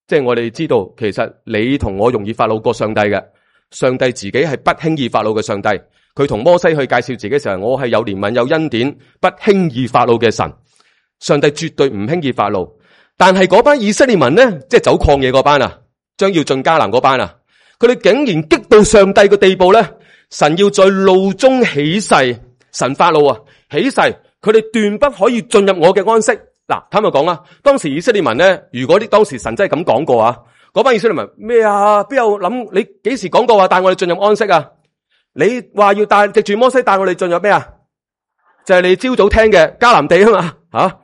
即係我哋知道，其實你同我容易發怒過上帝嘅，上帝自己係不輕易發怒嘅上帝。佢同摩西去介紹自己嘅時候，我係有憐憫有恩典，不輕易發怒嘅神。上帝絕對唔輕易發怒，但係嗰班以色列民呢，即係走曠野嗰班啊，將要進迦南嗰班啊，佢哋竟然激到上帝嘅地步咧，神要在怒中起誓，神發怒啊，起誓，佢哋斷不可以進入我嘅安息。嗱，坦白講啊，當時以色列民咧，如果當時神真係咁講過啊，嗰班以色列民咩啊？邊有諗你幾時講過話帶我哋進入安息啊？你話要帶藉住摩西帶我哋進入咩啊？就係你朝早聽嘅迦南地啊嘛，吓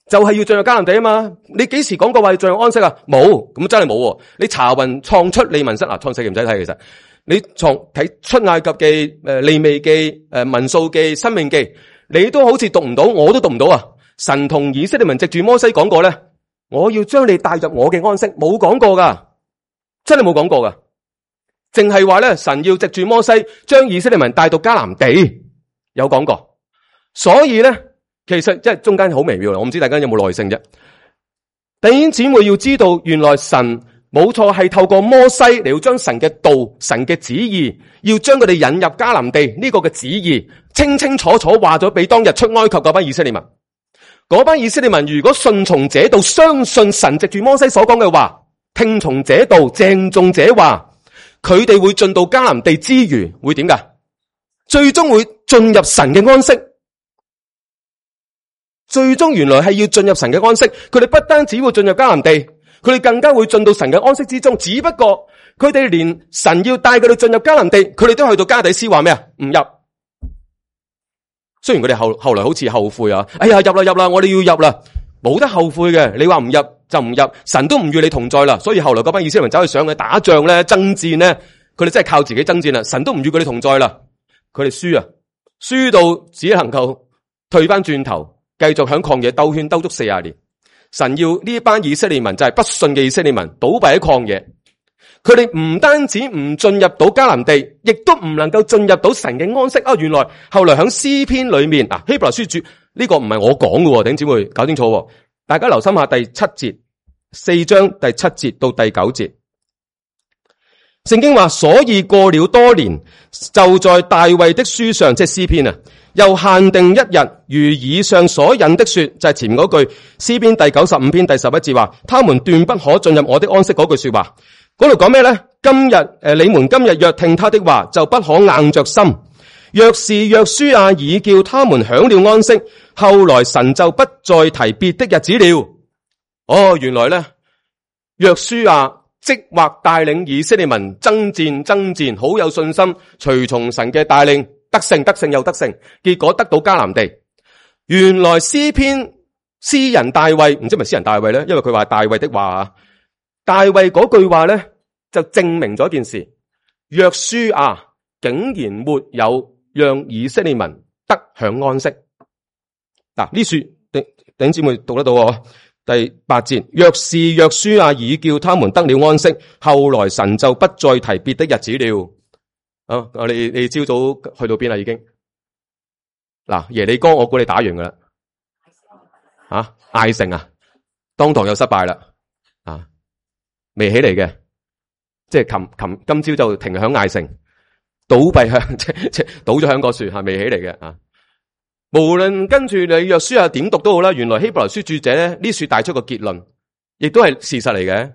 就係要進入迦南地啊嘛。你幾時講過話要進入安息啊？冇，咁真係冇。你查雲創出利民申創世記唔使睇，其實你睇出埃及記、利未記、民數記、申命記，你都好似讀唔到，我都讀唔到啊。神同以色列民藉住摩西講過咧，我要將你帶入我嘅安息，冇講過噶，真係冇講過噶。淨係話咧，神要藉住摩西將以色列民帶到迦南地，有講過。所以咧，其實即係中間好微妙，我唔知大家有冇耐性啫。弟兄姊妹要知道，原來神冇錯係透過摩西嚟要將神嘅道、神嘅旨意，要將佢哋引入迦南地呢個嘅旨意，清清楚楚話咗俾當日出埃及嗰班以色列民。嗰班以色列民如果順從這道，相信神藉住摩西所講嘅話，聽從這道，鄭重這話，佢哋會進到迦南地之餘，會點噶？最終會進入神嘅安息。最終原來係要進入神嘅安息。佢哋不單止會進入迦南地，佢哋更加會進到神嘅安息之中。只不過佢哋連神要帶佢哋進入迦南地，佢哋都去到加底斯話咩啊？唔入。雖然佢哋後來好似後悔啊，哎呀，入啦，我哋要入啦，冇得後悔嘅。你話唔入就唔入，神都唔與你同在啦。所以後來嗰班以色列人走去上去打仗咧、爭戰咧，佢哋真係靠自己爭戰啦，神都唔與佢哋同在啦。佢哋輸啊，輸到只能夠退翻轉頭，繼續響曠野兜圈兜足40年。神要呢班以色列民，就係不信嘅以色列民，倒斃喺曠野。佢哋唔單止唔進入到迦南地，亦都唔能夠進入到神嘅安息啊！原來後來響詩篇裏面啊，希伯來書主呢個唔係我講嘅，弟兄姊妹搞清楚。大家留心下第7節，4章第7節到第9節，聖經話，所以過了多年，就在大衛的書上，即係詩篇啊，又限定一日，如以上所引的說，就係前面嗰句詩篇第95篇第11節話，他們斷不可進入我的安息嗰句說話。嗰度講咩咧？今日你們今日若聽他的話，就不可硬着心。若是約書亞已叫他們享了安息，後來神就不再提別的日子了。哦，原來咧，約書亞即或帶領以色列民爭戰，好有信心，隨從神嘅帶領，得勝又得勝，結果得到迦南地。原來詩人大衛，唔知係咪詩人大衛咧？因為佢話大衛的話啊，大衛嗰句話咧就證明咗一件事：約書亞竟然沒有讓以色列民得享安息。嗱，呢書弟兄姊妹讀得到喎。第8節，若是約書亞已叫他們得了安息，後來神就不再提別的日子了。啊，你朝早去到邊啦？已經嗱，耶利哥我估你打完噶啦。啊，艾城啊，當堂又失敗啦。啊，未起嚟嘅，即係今朝就停響艾城，倒閉響即倒咗響個樹係未起嚟嘅啊。無論跟住你約書亞點讀都好啦，原來希伯來書著者咧呢書帶出個結論，亦都係事實嚟嘅。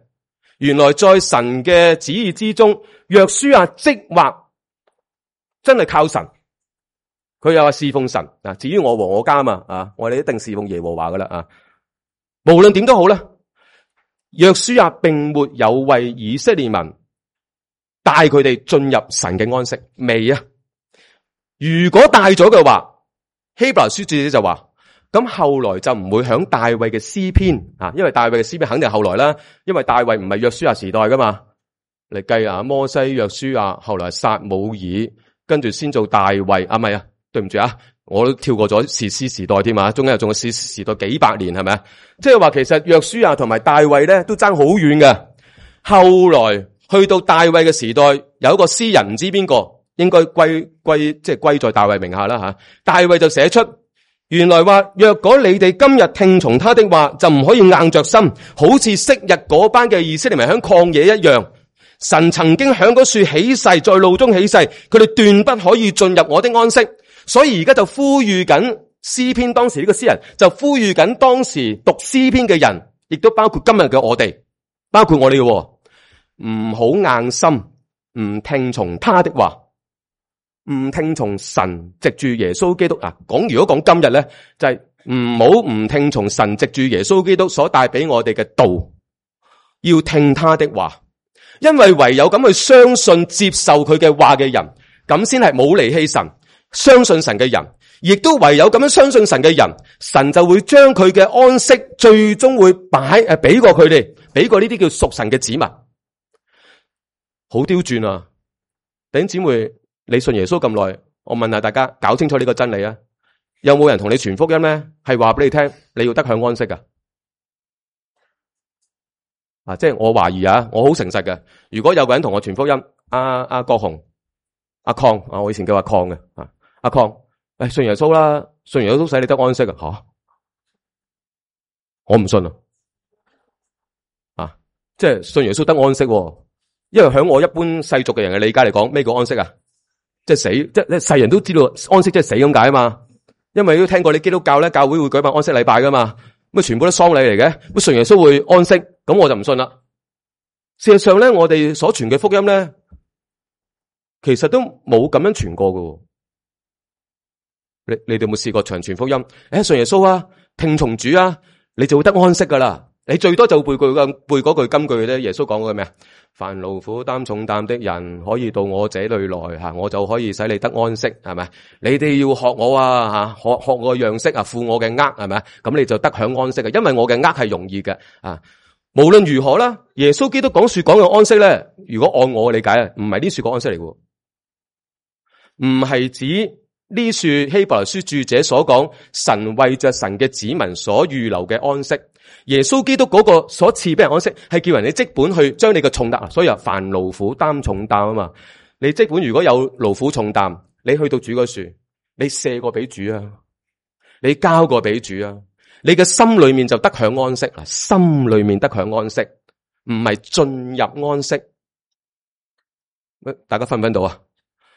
原來在神嘅旨意之中，約書亞即或真係靠神，佢又話侍奉神啊。至於我和我家嘛啊，我哋一定侍奉耶和華噶啦啊。無論點都好啦，約書亞並沒有為以色列民帶佢哋進入神嘅安息，未啊？如果帶咗嘅話，希伯來書作者就話，咁後來就唔會響大衛嘅詩篇啊，因為大衛嘅詩篇肯定係後來啦，因為大衛唔係約書亞時代噶嘛。嚟計啊，摩西、約書亞，後來撒母耳，跟住先做大衛啊，唔係啊，對唔住啊，我都跳過咗士師時代添啊，中間又仲有士師時代幾百年係咪啊？即係話其實約書亞同埋大衛咧都爭好遠嘅。後來去到大衛嘅時代，有一個詩人唔知邊個。應該歸在大衛名下啦吓。大衛就寫出，原來話若果你哋今日聽從他的話，就唔可以硬着心，好似昔日嗰班嘅以色列民響曠野一樣。神曾經響嗰樹起誓，在路中起誓，佢哋斷不可以進入我的安息。所以而家就呼籲緊詩篇，當時呢個詩人就呼籲緊當時讀詩篇嘅人，亦都包括今日嘅我哋，包括我哋嘅，唔好硬心，唔聽從他的話。唔聽從神藉住耶穌基督啊，如果講今日咧，就係唔好唔聽從神藉住耶穌基督所帶俾我哋嘅道，要聽他的話，因為唯有咁去相信接受佢嘅話嘅人，咁先係冇離棄神，相信神嘅人，亦都唯有咁樣相信神嘅人，神就會將佢嘅安息最終會俾過佢哋，俾過呢啲叫屬神嘅子民。好刁鑽啊！弟兄姊妹，你信耶穌咁耐，我問下大家，搞清楚呢個真理啊！有冇人同你傳福音咧？係話俾你聽，你要得享安息噶。啊，即係我懷疑啊，我好誠實嘅。如果有個人同我傳福音，阿國雄、阿鄺啊，我以前叫阿鄺嘅啊，阿鄺，信耶穌啦，信耶穌使你得安息啊？吓，我唔信啊！即係信耶穌得安息，因為響我一般世俗嘅人嘅理解嚟講，咩叫安息啊？即係死，即係世人都知道安息即係死咁解啊嘛。因為都聽過你基督教咧，教會會舉辦安息禮拜噶嘛，咁全部都喪禮嚟嘅，咁信耶穌會安息，咁我就唔信啦。事實上咧，我哋所傳嘅福音咧，其實都冇咁樣傳過噶。你哋有冇試過長傳福音？信耶穌啊，聽從主啊，你就會得安息噶啦。你最多就背嗰句金句嘅啫。耶穌講過咩啊？凡勞苦擔重擔的人，可以到我這裏來吓，我就可以使你得安息，係咪？你哋要學我啊吓，學我樣式啊，負我嘅軛，係咪？咁你就得享安息嘅，因為我嘅軛係容易嘅啊。無論如何啦，耶穌基督講嘅安息咧，如果按我嘅理解啊，唔係呢樹講安息嚟嘅，唔係指呢樹希伯來書著者所講神為着神嘅子民所預留嘅安息。耶穌基督嗰個所賜俾人安息，係叫人哋即本去將你嘅重擔，所以凡勞苦擔重擔啊嘛。你即本如果有勞苦重擔，你去到主嗰樹，你卸過俾主啊，你交過俾主啊，你嘅心裏面就得享安息啦。心裏面得享安息，唔係進入安息。大家分唔分到啊？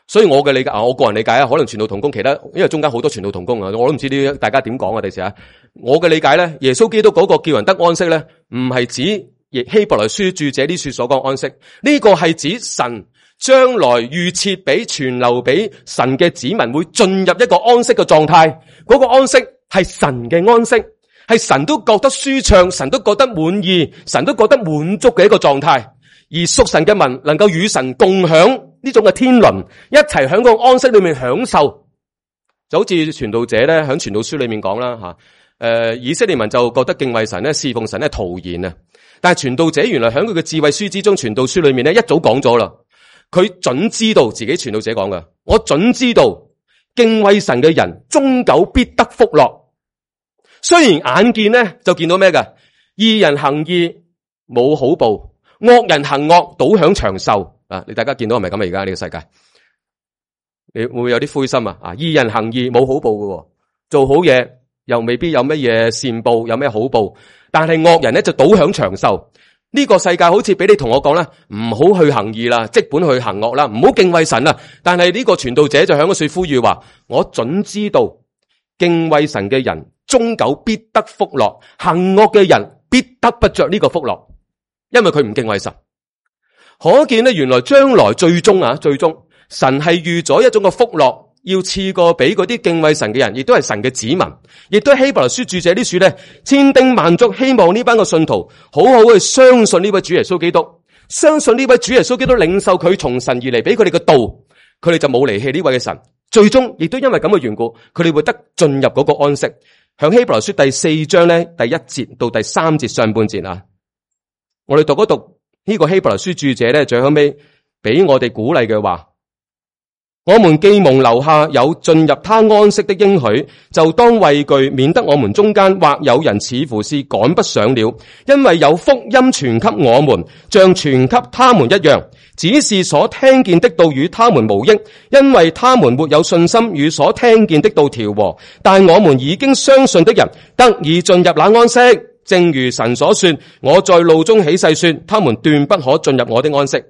所以我嘅理解，我個人理解啊，可能傳道同工其他，因為中間好多傳道同工啊，我都唔知呢大家點講啊。第時啊，我嘅理解咧，耶穌基督嗰個叫人得安息咧，唔係指希伯來書著者呢書所講安息，呢個係指神將來預設俾存留俾神嘅子民會進入一個安息嘅狀態，嗰個安息係神嘅安息，係神都覺得舒暢，神都覺得滿意，神都覺得滿足嘅一個狀態。而屬神嘅民能夠與神共享呢種嘅天倫，一齊喺個安息裏面享受，就好似傳道者咧喺傳道書裏面講啦吓，以色列民就覺得敬畏神咧、侍奉神咧徒然啊，但係傳道者原來喺佢嘅智慧書之中，傳道書裏面咧一早講咗啦，佢準知道自己傳道者講嘅，我準知道敬畏神嘅人終久必得福樂。雖然眼見咧就見到咩嘅，義人行義冇好報，惡人行惡倒享長壽啊！你大家見到係咪咁啊？而家呢個世界，你會唔會有啲灰心啊？義人行義冇好報嘅，做好嘢又未必有乜嘢善報，有咩好報。但係惡人咧就倒享長壽。呢個世界好似俾你同我講啦，唔好去行義啦，即本去行惡啦，唔好敬畏神啦。但係呢個傳道者就響嗰處呼籲話：我準知道敬畏神嘅人終久必得福樂，行惡嘅人必得不着呢個福樂。因為佢唔敬畏神，可見咧原來將來最終神係預咗一種嘅福樂，要賜過俾嗰啲敬畏神嘅人，亦都係神嘅子民，亦都係希伯來書著者啲書咧，千叮萬囑，希望呢班嘅信徒好好去相信呢位主耶穌基督，相信呢位主耶穌基督領受佢從神而嚟俾佢哋嘅道，佢哋就冇離棄呢位嘅神，最終亦都因為咁嘅緣故，佢哋會得進入嗰個安息。響希伯來書第4章咧第1節到第3節上半節啊。我哋讀一讀呢個希伯來書著者咧，最後尾俾我哋鼓勵嘅話：我們既蒙留下有進入他安息的應許，就當畏懼，免得我們中間或有人似乎是趕不上了。因為有福音傳給我們，像傳給他們一樣，只是所聽見的道與他們無益，因為他們沒有信心與所聽見的道調和。但我們已經相信的人得以進入那安息。正如神所說，我在怒中起誓說，他們斷不可進入我的安息。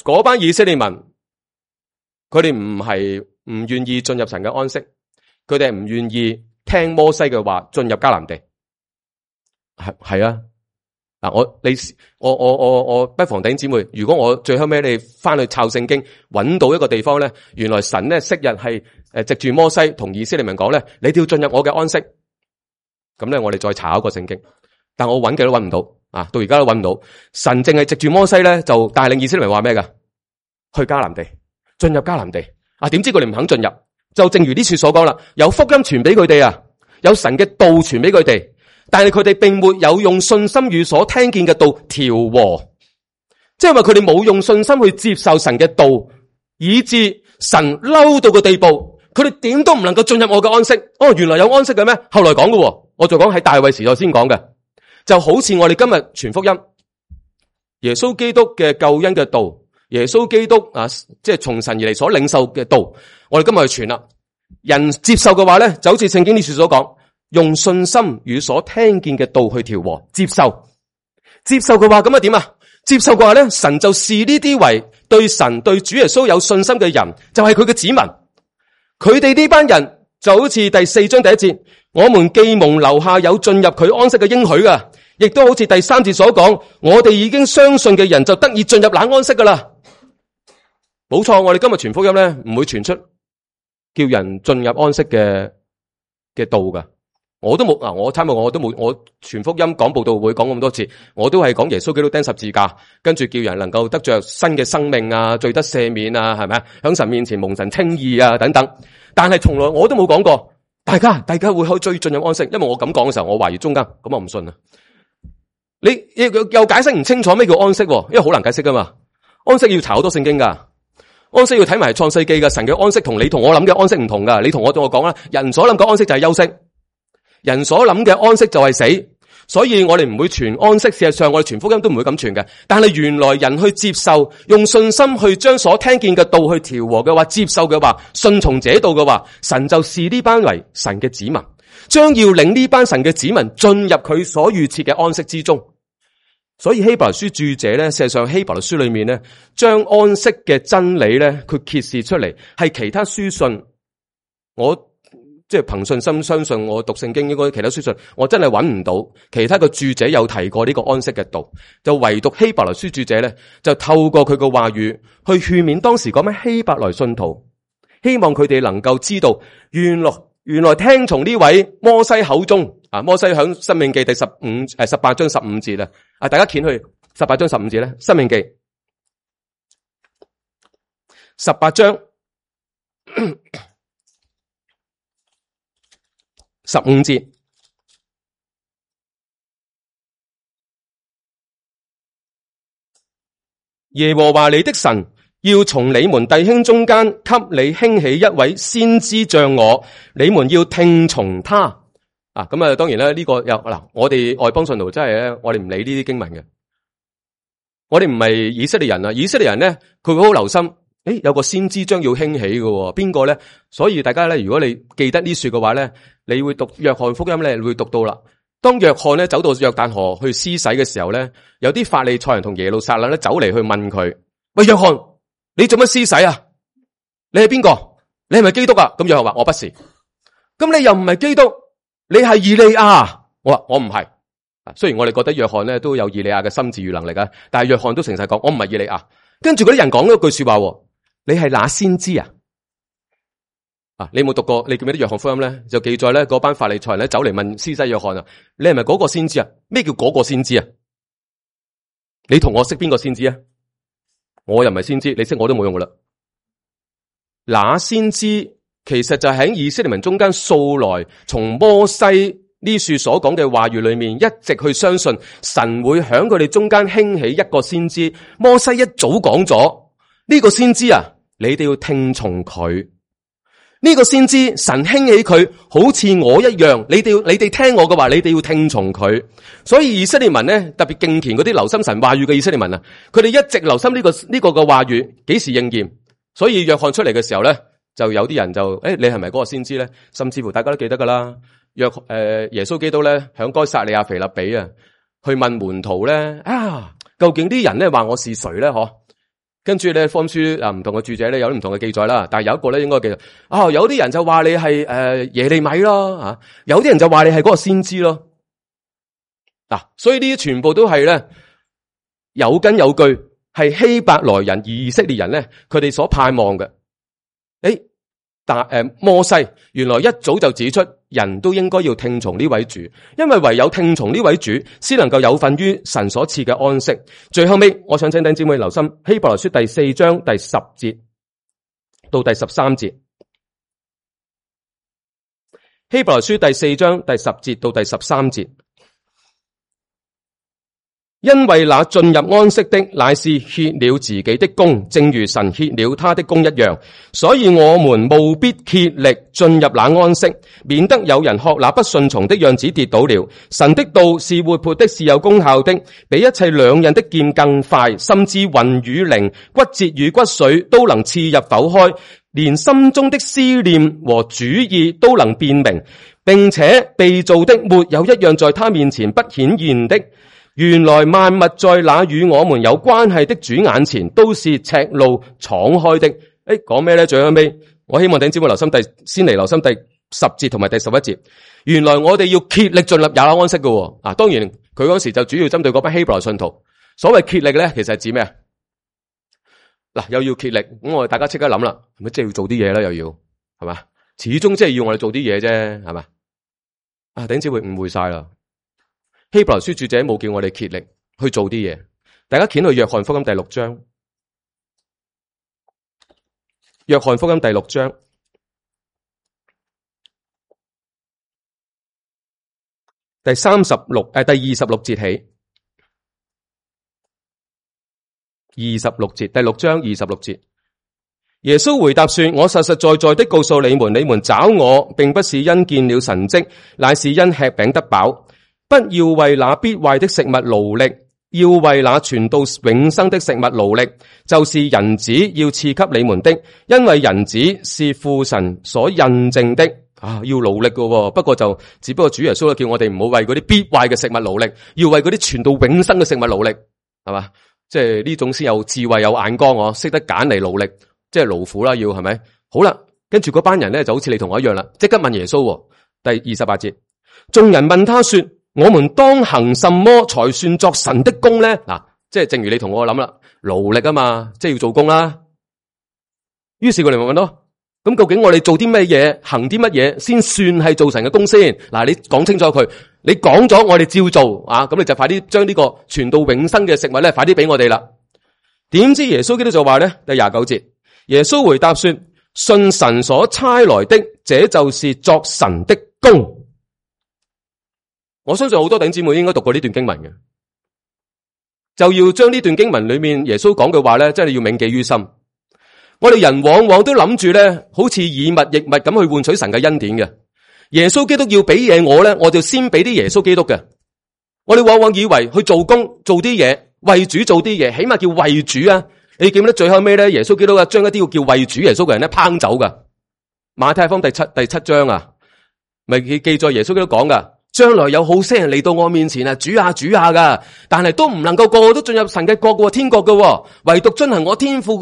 嗰班以色列民，佢哋唔願意進入神嘅安息，佢哋係唔願意聽摩西嘅話進入迦南地。係啊，嗱我不妨弟兄姊妹，如果我最後尾你翻去抄聖經，揾到一個地方咧，原來神咧昔日係藉住摩西同以色列民講咧，你哋要進入我嘅安息。咁咧，我哋再查一個聖經，但我揾嘅都揾唔到啊！到而家都揾唔到。神淨係藉住摩西咧，就帶領以色列人話咩噶？去迦南地，進入迦南地啊！點知佢哋唔肯進入？就正如呢處所講啦，有福音傳俾佢哋啊，有神嘅道傳俾佢哋，但係佢哋並沒有用信心與所聽見嘅道調和，即係話佢哋冇用信心去接受神嘅道，以致神嬲到個地步，佢哋點都唔能夠進入我嘅安息。哦，原來有安息嘅咩？後來講嘅。我就講喺大衛時代先講嘅，就好似我哋今日傳福音，耶穌基督嘅救恩嘅道，耶穌基督啊，即係從神而嚟所領受嘅道，我哋今日去傳啦。人接受嘅話咧，就好似聖經呢處所講，用信心與所聽見嘅道去調和，接受嘅話，咁啊點啊？接受嘅話咧，神就視呢啲為對神對主耶穌有信心嘅人，就係佢嘅子民。佢哋呢班人就好似第4章第1節。我們既蒙留下有進入佢安息嘅應許噶，亦都好似第3節所講，我哋已經相信嘅人就得以進入那安息噶啦。冇錯，我哋今日傳福音咧，唔會傳出叫人進入安息嘅道噶。我都冇啊，我參與我都冇，我傳福音講佈道會講咁多次，我都係講耶穌基督釘十字架，跟住叫人能夠得着新嘅生命啊，罪得赦免啊，係咪啊？響神面前蒙神稱義啊，等等。但係從來我都冇講過。大家會去追進入安息，因為我咁講嘅時候，我懷疑中間，咁我唔信啊！你又解釋唔清楚咩叫安息，因為好難解釋噶嘛。安息要查好多聖經噶，安息要睇埋創世記嘅神嘅安息，同你同我諗嘅安息唔同噶。你同我講啦，人所諗嘅安息就係休息，人所諗嘅安息就係死。所以我哋唔會傳安息，事實上我哋傳福音都唔會咁傳嘅。但係原來人去接受，用信心去將所聽見嘅道去調和嘅話，接受嘅話，順從這道嘅話，神就視呢班為神嘅子民，將要領呢班神嘅子民進入佢所預設嘅安息之中。所以希伯來書著者咧，事實上希伯來書裏面咧，將安息嘅真理咧，佢揭示出嚟，係其他書信，我即係憑信心相信，我讀聖經應該其他書信，我真係揾唔到其他嘅著者有提過呢個安息嘅道，就唯獨希伯來書著者咧，就透過佢嘅話語去勸勉當時嗰班希伯來信徒，希望佢哋能夠知道，原來聽從呢位摩西口中啊，摩西響申命記第18章15節啊，大家掀去18章15節咧，申命記18章15節，耶和華你的神要從你們弟兄中間給你興起一位先知像我，你們要聽從他。啊，咁啊，當然啦，呢個又嗱，我哋外邦信徒真係咧，我哋唔理呢啲經文嘅，我哋唔係以色列人啊，以色列人咧，佢會好留心，有個先知將要興起嘅，邊個咧？所以大家咧，如果你記得呢說嘅話咧，你會讀約翰福音咧，你會讀到啦。當約翰咧走到約旦河去施洗嘅時候咧，有啲法利賽人同耶路撒冷咧走嚟去問佢：喂，約翰，你做乜施洗啊？你係邊個？你係咪基督啊？咁約翰話：我不是。咁你又唔係基督，你係以利亞。我話我唔係。雖然我哋覺得約翰咧都有以利亞嘅心智與能力啊，但係約翰都誠實講：我唔係以利亞。跟住嗰啲人講咗句說話：你係那先知啊？你有冇讀過？你記唔記得約翰福音咧？就記載咧，嗰班法利賽人咧走嚟問施洗約翰啊：你係咪嗰個先知啊？咩叫嗰個先知啊？你同我識邊個先知啊？我又唔係先知，你識我都冇用噶啦。那先知其實就喺以色列民中間素來從摩西呢處所講嘅話語裏面，一直去相信神會響佢哋中間興起一個先知。摩西一早講咗呢個先知啊，你哋要聽從佢。呢個先知神興起佢，好似我一樣，你哋聽我嘅話，你哋要聽從佢。所以以色列民咧，特別敬虔嗰啲留心神話語嘅以色列民啊，佢哋一直留心呢個嘅話語幾時應驗。所以約翰出嚟嘅時候咧，就有啲人就你係咪嗰個先知咧？甚至乎大家都記得噶啦，耶穌基督咧響該撒利亞腓立比啊，去問門徒咧究竟啲人咧話我是誰咧？嗬？跟住咧，福音書唔同嘅著者咧有啲唔同嘅記載啦，但係有一個咧應該記得有啲人就話你係耶利米咯，有啲人就話你係嗰個先知咯。所以呢啲全部都係咧有根有據，係希伯來人以色列人咧佢哋所盼望嘅。但摩西原來一早就指出，人都應該要聽從呢位主，因為唯有聽從呢位主，先能夠有份於神所賜嘅安息。最後尾，我想請弟兄姊妹留心希伯來書第4章第10節到第13節。希伯來書第4章第10節到第13節。因為那進入安息的，乃是歇了自己的工，正如神歇了他的工一樣。所以我們務必竭力進入那安息，免得有人學那不順從的樣子跌倒了。神的道是活潑的，是有功效的，比一切兩刃的劍更快，甚至魂與靈、骨節與骨髓都能刺入剖開，連心中的思念和主意都能辨明，並且被造的沒有一樣在他面前不顯現的。原來萬物在那與我們有關係的主眼前都是赤露敞開的。講咩咧？最後尾，我希望弟兄姊妹先嚟留心第10節同埋第11節。原來我哋要竭力進入也安息嘅。當然佢嗰時就主要針對嗰班希伯來信徒。所謂竭力咧，其實係指咩？又要竭力，咁我哋大家即刻諗啦，係咪即係要做啲嘢啦？又要係嘛？始終即係要我哋做啲嘢啫，係嘛？弟兄姊妹誤會晒啦。希伯來書著者冇叫我哋竭力去做啲嘢，大家掀去約翰福音第6章。約翰福音第6章第26節起，26節，第6章26節。耶穌回答說：我實實在在的告訴你們，你們找我，並不是因見了神蹟，乃是因吃餅得飽。不要為那必壞的食物勞力，要為那傳到永生的食物勞力，就是人子要賜給你們的，因為人子是父神所印證的。要努力喎。不過只不過主耶穌叫我哋唔好為嗰啲必壞嘅食物努力，要為嗰啲傳到永生嘅食物努力，係嘛？即係呢種先有智慧有眼光，識得揀嚟努力，即係勞苦啦，要係咪？好啦，跟住嗰班人咧就好似你同我一樣啦，即刻問耶穌。第28節，眾人問他說：我們當行什麼才算作神的工咧？嗱，即係正如你同我諗啦，勞力啊嘛，即係要做工啦。於是佢哋咪問咯，咁究竟我哋做啲咩嘢，行啲乜嘢先算係做神嘅工先？嗱，你講清楚佢，你講咗我哋照做啊，咁你就快啲將呢個傳到永生嘅食物咧，快啲俾我哋啦。點知耶穌基督就話咧，第29節，耶穌回答說：信神所差來的，這就是作神的工。我相信好多弟兄姊妹應該讀過呢段經文嘅，就要將呢段經文裏面耶穌講嘅話咧，真係要銘記於心。我哋人往往都諗住咧，好似以物易物咁去換取神嘅恩典嘅。耶穌基督要俾嘢我咧，我就先俾啲耶穌基督嘅。我哋往往以為去做工做啲嘢，為主做啲嘢，起碼叫為主啊。你記唔記得最後尾咧，耶穌基督啊將一啲叫為主耶穌嘅人咧拋走噶。馬太福音第七章啊，咪記載耶穌基督講噶，將來有好些人嚟到我面前啊，主啊主啊噶，但係都唔能夠個個都進入神嘅國嘅天國嘅，唯獨遵行我天父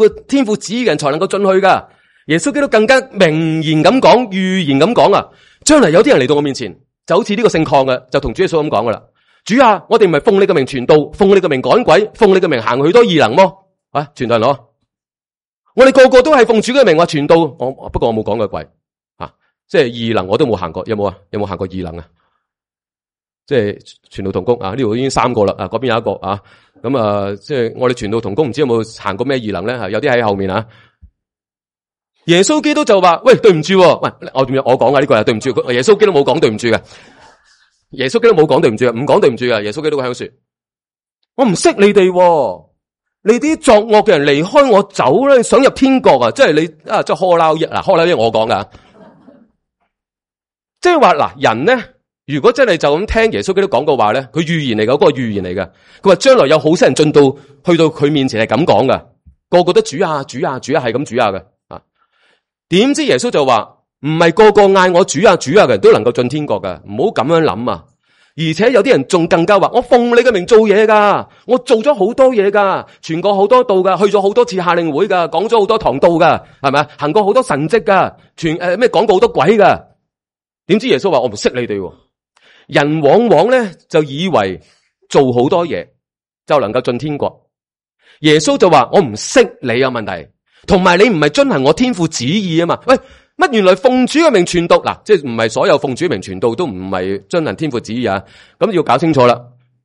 旨意嘅人才能夠進去噶。耶穌基督更加明言咁講，預言咁講啊，將來有啲人嚟到我面前，就好似呢個聖礦嘅，就同主耶穌咁講噶啦。主啊，我哋唔係奉你嘅名傳道，奉你嘅名趕鬼，奉你嘅名行許多異能麼？啊，傳道人攞，我哋個個都係奉主嘅名話傳道，不過我冇講過鬼啊，即係異能我都冇行過，有冇啊？有冇行過異能啊？即係傳道同工啊，呢度已經3個啦，啊嗰邊有一個啊，咁啊，即係我哋傳道同工唔知有冇行過咩異能咧？有啲喺後面啊。耶穌基督就話：喂，對唔住，喂，我講噶呢個係對唔住，耶穌基督冇講對唔住嘅，耶穌基督冇講對唔住，唔講對唔住嘅，耶穌基督喺度說：我唔識你哋，你啲作惡嘅人離開我走咧，想入天國啊！即係你啊，即係呵撈一嗱，呵撈一我講噶，即係話嗱，人咧，如果真係就咁聽耶穌基督講嘅話咧，佢預言嚟嘅，嗰個預言嚟嘅，佢話將來有好些人進到去到佢面前係咁講噶，個個都主啊主啊主啊係咁主啊嘅啊，點知耶穌就話唔係個個嗌我主啊主啊嘅人都能夠進天國噶，唔好咁樣諗啊！而且有啲人仲更加話，我奉你嘅名做嘢噶，我做咗好多嘢噶，傳過好多道噶，去咗好多次夏令會噶，講咗好多堂道噶，係咪啊？行過好多神蹟噶，咩講過好多鬼噶。點知耶穌話我唔識你哋。人往往咧就以為做好多嘢就能夠進天國。耶穌就話我唔識你有問題，同埋你唔係遵行我天父旨意啊嘛。喂，乜原來奉主嘅名傳道嗱，即係唔係所有奉主名傳道都唔係遵行天父旨意啊？咁要搞清楚啦。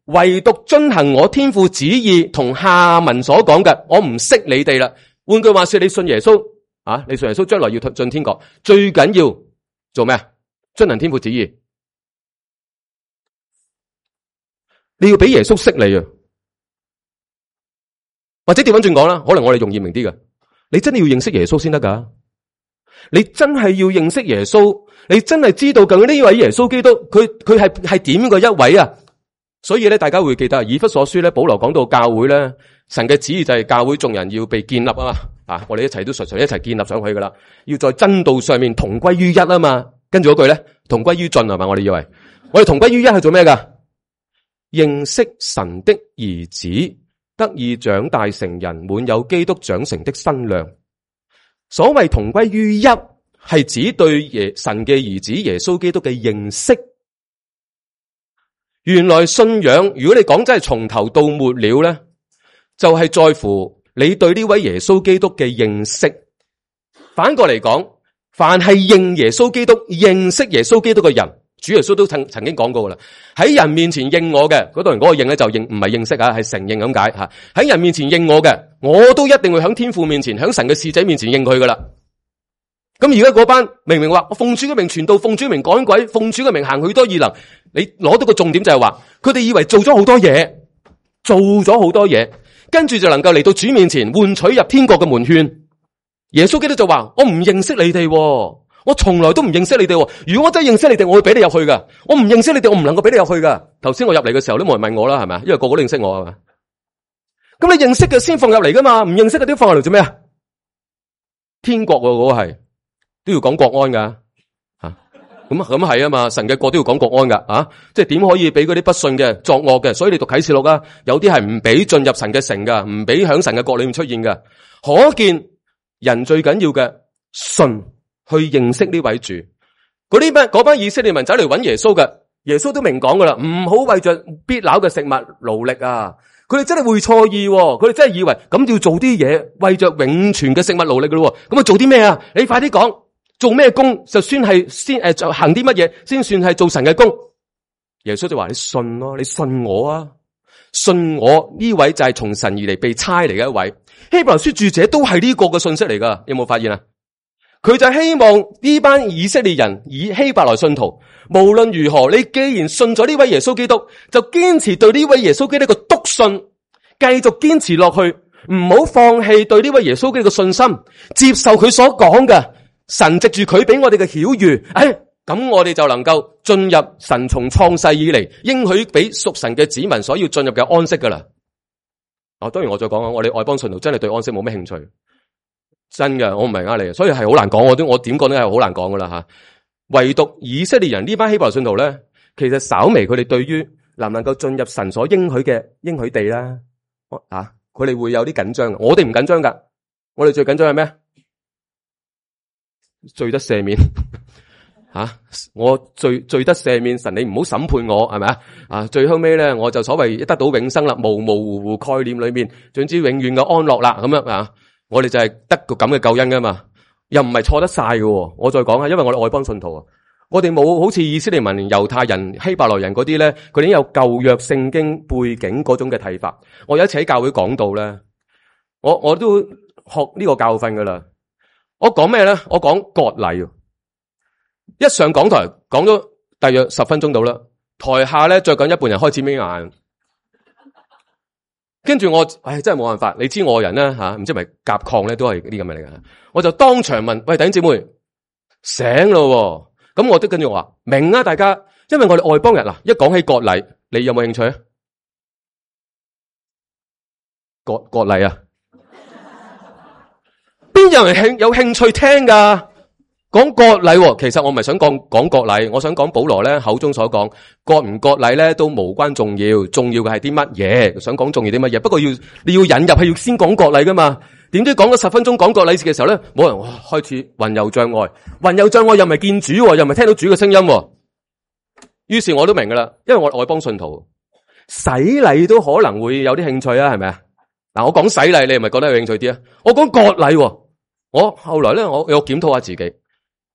唯獨遵行我天父旨意同下文所講嘅，我唔識你哋啦。換句話說，你信耶穌啊，你信耶穌將來要進天國，最緊要做咩啊？遵行天父旨意。你要俾耶穌識你啊，或者調翻轉講啦，可能我哋容易明啲嘅，你真係要認識耶穌先得噶。你真係要認識耶穌，你真係知道究竟呢位耶穌基督佢係點嘅一位啊！所以咧，大家會記得以弗所書咧，保羅講到教會咧，神嘅旨意就係教會眾人要被建立啊嘛，啊，我哋一齊都一齊建立上去噶啦，要在真道上面同歸於一啊嘛。跟住嗰句咧，同歸於盡係嘛？我哋以為我哋同歸於一係做咩噶？認識神的兒子，得以長大成人，滿有基督長成的身量。所謂同歸於一，係指對神嘅兒子耶穌基督嘅認識。原來信仰，如果你講真係從頭到末了咧，就係在乎你對呢位耶穌基督嘅認識。反過嚟講，凡係認耶穌基督、認識耶穌基督嘅人，主耶穌都曾經講過噶啦。喺人面前認我嘅嗰度人，嗰個認咧就認唔係認識啊，係承認咁解吓。喺人面前認我嘅，我都一定會響天父面前、響神嘅使者面前認佢噶啦。咁而家嗰班明明話我奉主嘅名傳道、奉主嘅名趕鬼、奉主嘅名行許多異能，你攞到個重點就係話，佢哋以為做咗好多嘢，跟住就能夠嚟到主面前換取入天國嘅門券。耶穌基督就話：我唔認識你哋，我從來都唔認識你哋。如果我真係認識你哋，我會俾你入去噶。我唔認識你哋，我唔能夠俾你入去噶。頭先我入嚟嘅時候都冇人問我啦，係咪？因為個個都認識我係嘛。咁你認識嘅先放入嚟噶嘛，唔認識嘅都放入嚟做咩啊？天國嗰個係都要講國安噶吓，咁係啊嘛，神嘅國都要講國安噶，即係點可以俾嗰啲不信嘅作惡嘅？所以你讀啟示錄啊，有啲係唔俾進入神嘅城噶，唔俾響神嘅國裏面出現噶。可見人最緊要嘅信去認識呢位主。嗰班以色列民走嚟揾耶穌嘅，耶穌都明講噶啦，唔好為着必朽嘅食物勞力啊！佢哋真係會錯意，佢哋真係以為咁要做啲嘢，為着永存嘅食物勞力噶咯。咁啊做啲咩啊？你快啲講，做咩工就算係就行啲乜嘢先算係做神嘅工？耶穌就話：你信咯，你信我啊，信我呢位就係從神而嚟被差嚟嘅一位。希伯來書著者都係呢個嘅信息嚟噶，有冇發現啊？佢就希望呢班以色列人以希伯來信徒，無論如何，你既然信咗呢位耶穌基督，就堅持對呢位耶穌基督嘅篤信，繼續堅持落去，唔好放棄對呢位耶穌基督嘅信心，接受佢所講嘅，神藉住佢俾我哋嘅曉諭，咁我哋就能夠進入神從創世以嚟應許俾屬神嘅子民所要進入嘅安息噶啦。當然我再講我哋外邦信徒真係對安息冇咩興趣。真嘅，我唔係呃你嘅，所以係好難講，我點講都係好難講噶啦吓。唯獨以色列人呢班希伯來信徒咧，其實稍微佢哋對於能唔能夠進入神所應許嘅應許地啦，佢哋會有啲緊張。我哋唔緊張噶，我哋最緊張係咩？罪得赦免我罪得赦免，神你唔好審判我，係咪啊？最後尾咧，我就所謂得到永生啦，模模糊糊概念裏面，總之永遠嘅安樂啦，咁樣啊。我哋就係得個咁嘅救恩噶嘛，又唔係錯得晒嘅。我再講下，因為我哋外邦信徒啊，我哋冇好似以色列民、猶太人、希伯來人嗰啲咧，佢哋已經有舊約聖經背景嗰種嘅睇法。我有一次喺教會講到咧，我都學呢個教訓噶啦。我講咩咧？我講割禮。一上講台講咗大約10分鐘到啦，台下咧着緊一半人開始眯眼。跟住我，真係冇辦法。你知我人咧唔知係咪甲亢咧，都係啲咁嘅嚟㗎。我就當場問：喂，弟兄姊妹，醒咯？咁我都跟住我話明啊，大家，因為我哋外邦人一講起割禮，你有冇興趣啊？割禮啊？邊有人有興趣聽噶？講割禮，其實我唔係想講割禮，我想講保羅咧口中所講割唔割禮咧都無關重要，重要嘅係啲乜嘢？想講重要啲乜嘢？不過你要引入係要先講割禮噶嘛？點知講咗10分鐘講割禮嘅時候咧，冇人開始魂遊障礙，又唔係見主，又唔係聽到主嘅聲音。於是我都明噶啦，因為我外邦信徒洗禮都可能會有啲興趣啊，係咪啊？嗱，我講洗禮，你係咪覺得有興趣啲啊？我講割禮，我後來咧我有檢討下自己。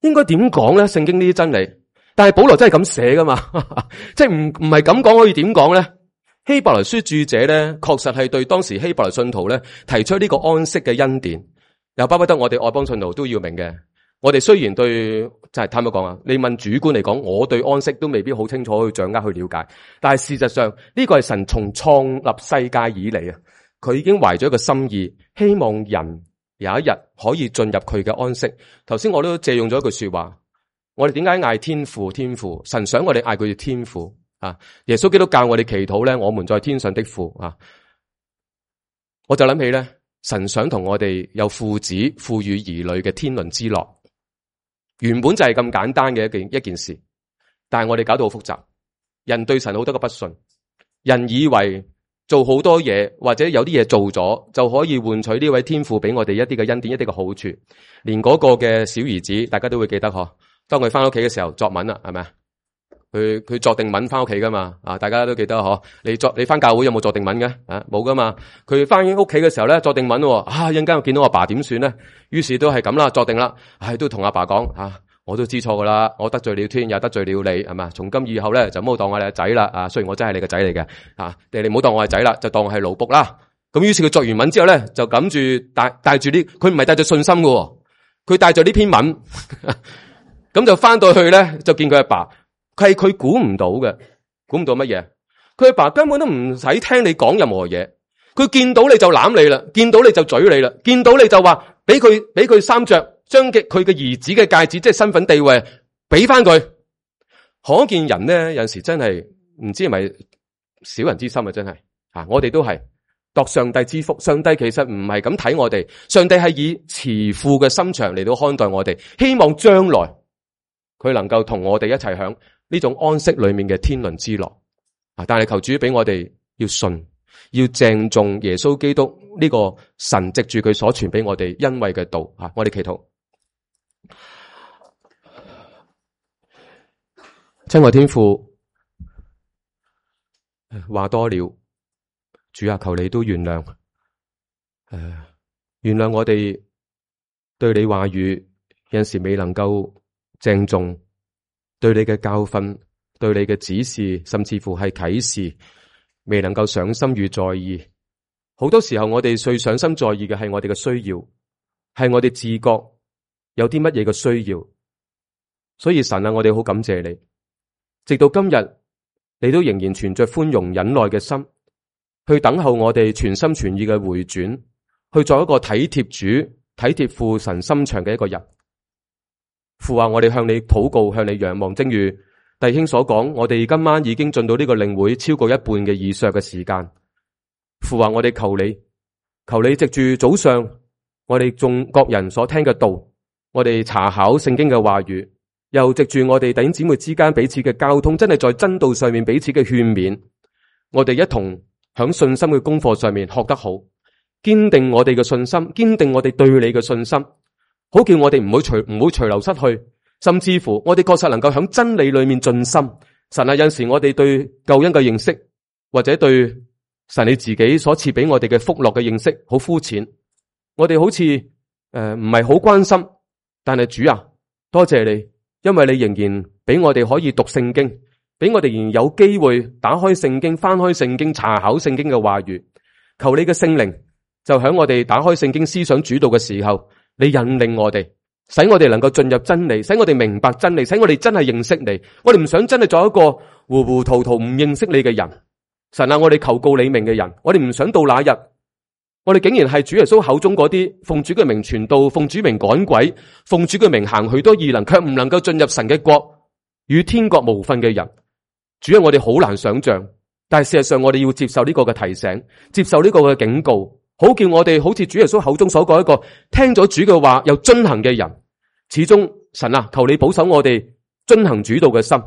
應該點講咧？聖經呢啲真理，但係保羅真係咁寫噶嘛？即係唔係咁講，可以點講咧？希伯來書著者咧，確實係對當時希伯來信徒咧提出呢個安息嘅恩典，又巴不得我哋外邦信徒都要明嘅。我哋雖然對就係坦白講啊，你問主觀嚟講，我對安息都未必好清楚去掌握去了解，但係事實上呢個係神從創立世界以嚟啊，佢已經懷咗一個心意，希望人有一日可以進入佢嘅安息。頭先我都借用咗一句說話，我哋點解嗌天父？天父，神想我哋嗌佢天父啊！耶穌基督教我哋祈禱咧，我們在天上的父啊！我就諗起咧，神想同我哋有父子賦予兒女嘅天倫之樂，原本就係咁簡單嘅一件事，但係我哋搞到好複雜。人對神好多個不信，人以為做好多嘢，或者有啲嘢做咗，就可以換取呢位天父俾我哋一啲嘅恩典，一啲嘅好處。連嗰個嘅小兒子，大家都會記得嗬。當佢翻屋企嘅時候作文啦，係咪啊？佢作定文翻屋企噶嘛？大家都記得嗬。你翻教會有冇作定文嘅？冇噶嘛。佢翻屋企嘅時候咧，作定文。一陣間我見到阿爸點算咧？於是都係咁啦，作定啦。都同阿爸講我都知錯噶啦，我得罪了天，又得罪了你，係嘛？從今以後咧，就唔好當我係仔啦。雖然我真係你個仔嚟嘅，你唔好當我係仔啦，就當我係奴僕啦。咁於是佢作完文之後咧，就諗住帶住啲，佢唔係帶住信心嘅，佢帶住呢篇文，咁就翻到去咧，就見佢阿爸，佢估唔到嘅，估唔到乜嘢？佢阿爸根本都唔使聽你講任何嘢，佢見到你就攬你啦，見到你就嘴你啦，見到你就話俾佢衫着。將佢嘅兒子嘅戒指，即係身份地位，俾翻佢。可見人咧，有陣時真係唔知係咪小人之心啊！真係我哋都係度上帝之福。上帝其實唔係咁睇我哋，上帝係以慈父嘅心腸嚟到看待我哋，希望將來佢能夠同我哋一齊享呢種安息裏面嘅天倫之樂。但係求主俾我哋要信，要鄭重耶穌基督呢個神藉住佢所傳俾我哋恩惠嘅道。我哋祈禱。親愛天父，話多了，主啊，求你都原諒，原諒我哋對你話語有陣時未能夠鄭重，對你嘅教訓，對你嘅指示，甚至乎係啟示，未能夠上心與在意。好多時候我哋最上心在意嘅係我哋嘅需要，係我哋自覺有啲乜嘢嘅需要。所以神啊，我哋好感謝你，直到今日你都仍然存着寬容忍耐嘅心，去等候我哋全心全意嘅回轉，去做一個體貼主、體貼父神心腸嘅一個人。父啊，我哋向你禱告，向你仰望，正如弟兄所講，我哋今晚已經進到呢個領會超過一半嘅以上嘅時間。父啊，我哋求你藉住早上我哋眾各人所聽嘅道，我哋查考聖經嘅話語，又藉住我哋弟兄姊妹之間彼此嘅交通，真係在真道上面彼此嘅勸勉，我哋一同響信心嘅功課上面學得好，堅定我哋嘅信心，堅定我哋對你嘅信心，好叫我哋唔會隨流失去，甚至乎我哋確實能夠響真理裏面盡心。神啊，有陣時我哋對救恩嘅認識，或者對神你自己所賜俾我哋嘅福樂嘅認識好膚淺，我哋好似唔係好關心。但係主啊，多謝你，因為你仍然俾我哋可以讀聖經，俾我哋仍然有機會打開聖經，翻開聖經，查考聖經嘅話語。求你嘅聖靈就響我哋打開聖經思想主導嘅時候，你引領我哋，使我哋能夠進入真理，使我哋明白真理，使我哋真係認識你。我哋唔想真係做一個糊糊塗塗唔認識你嘅人。神啊，我哋求告你名嘅人，我哋唔想到那日，我哋竟然係主耶穌口中嗰啲奉主嘅名傳道，奉主名趕鬼，奉主嘅名行許多異能，卻唔能夠進入神嘅國，與天國無分嘅人。主啊，我哋好難想象，但係事實上我哋要接受呢個嘅提醒，接受呢個嘅警告，好叫我哋好似主耶穌口中所講一個聽咗主嘅話又遵行嘅人。始終神啊，求你保守我哋遵行主道嘅心，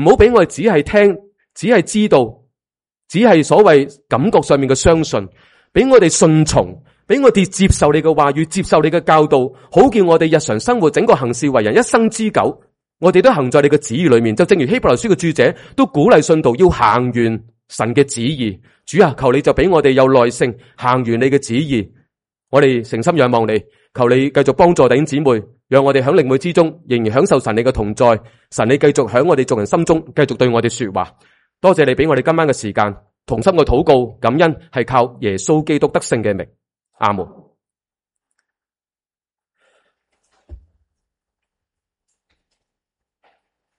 唔好俾我哋只係聽，只係知道，只係所謂感覺上面嘅相信，俾我哋順從，俾我哋接受你嘅話語，接受你嘅教導，好叫我哋日常生活整個行事為人一生之久，我哋都行在你嘅旨意裏面。就正如希伯來書嘅著者都鼓勵信徒要行完神嘅旨意。主啊，求你就俾我哋有耐性行完你嘅旨意。我哋誠心仰望你，求你繼續幫助弟兄姊妹，讓我哋響靈會之中仍然享受神你嘅同在。神你繼續響我哋眾人心中繼續對我哋說話。多謝你俾我哋今晚嘅時間，同心嘅禱告感恩係靠耶穌基督得勝嘅名。阿門。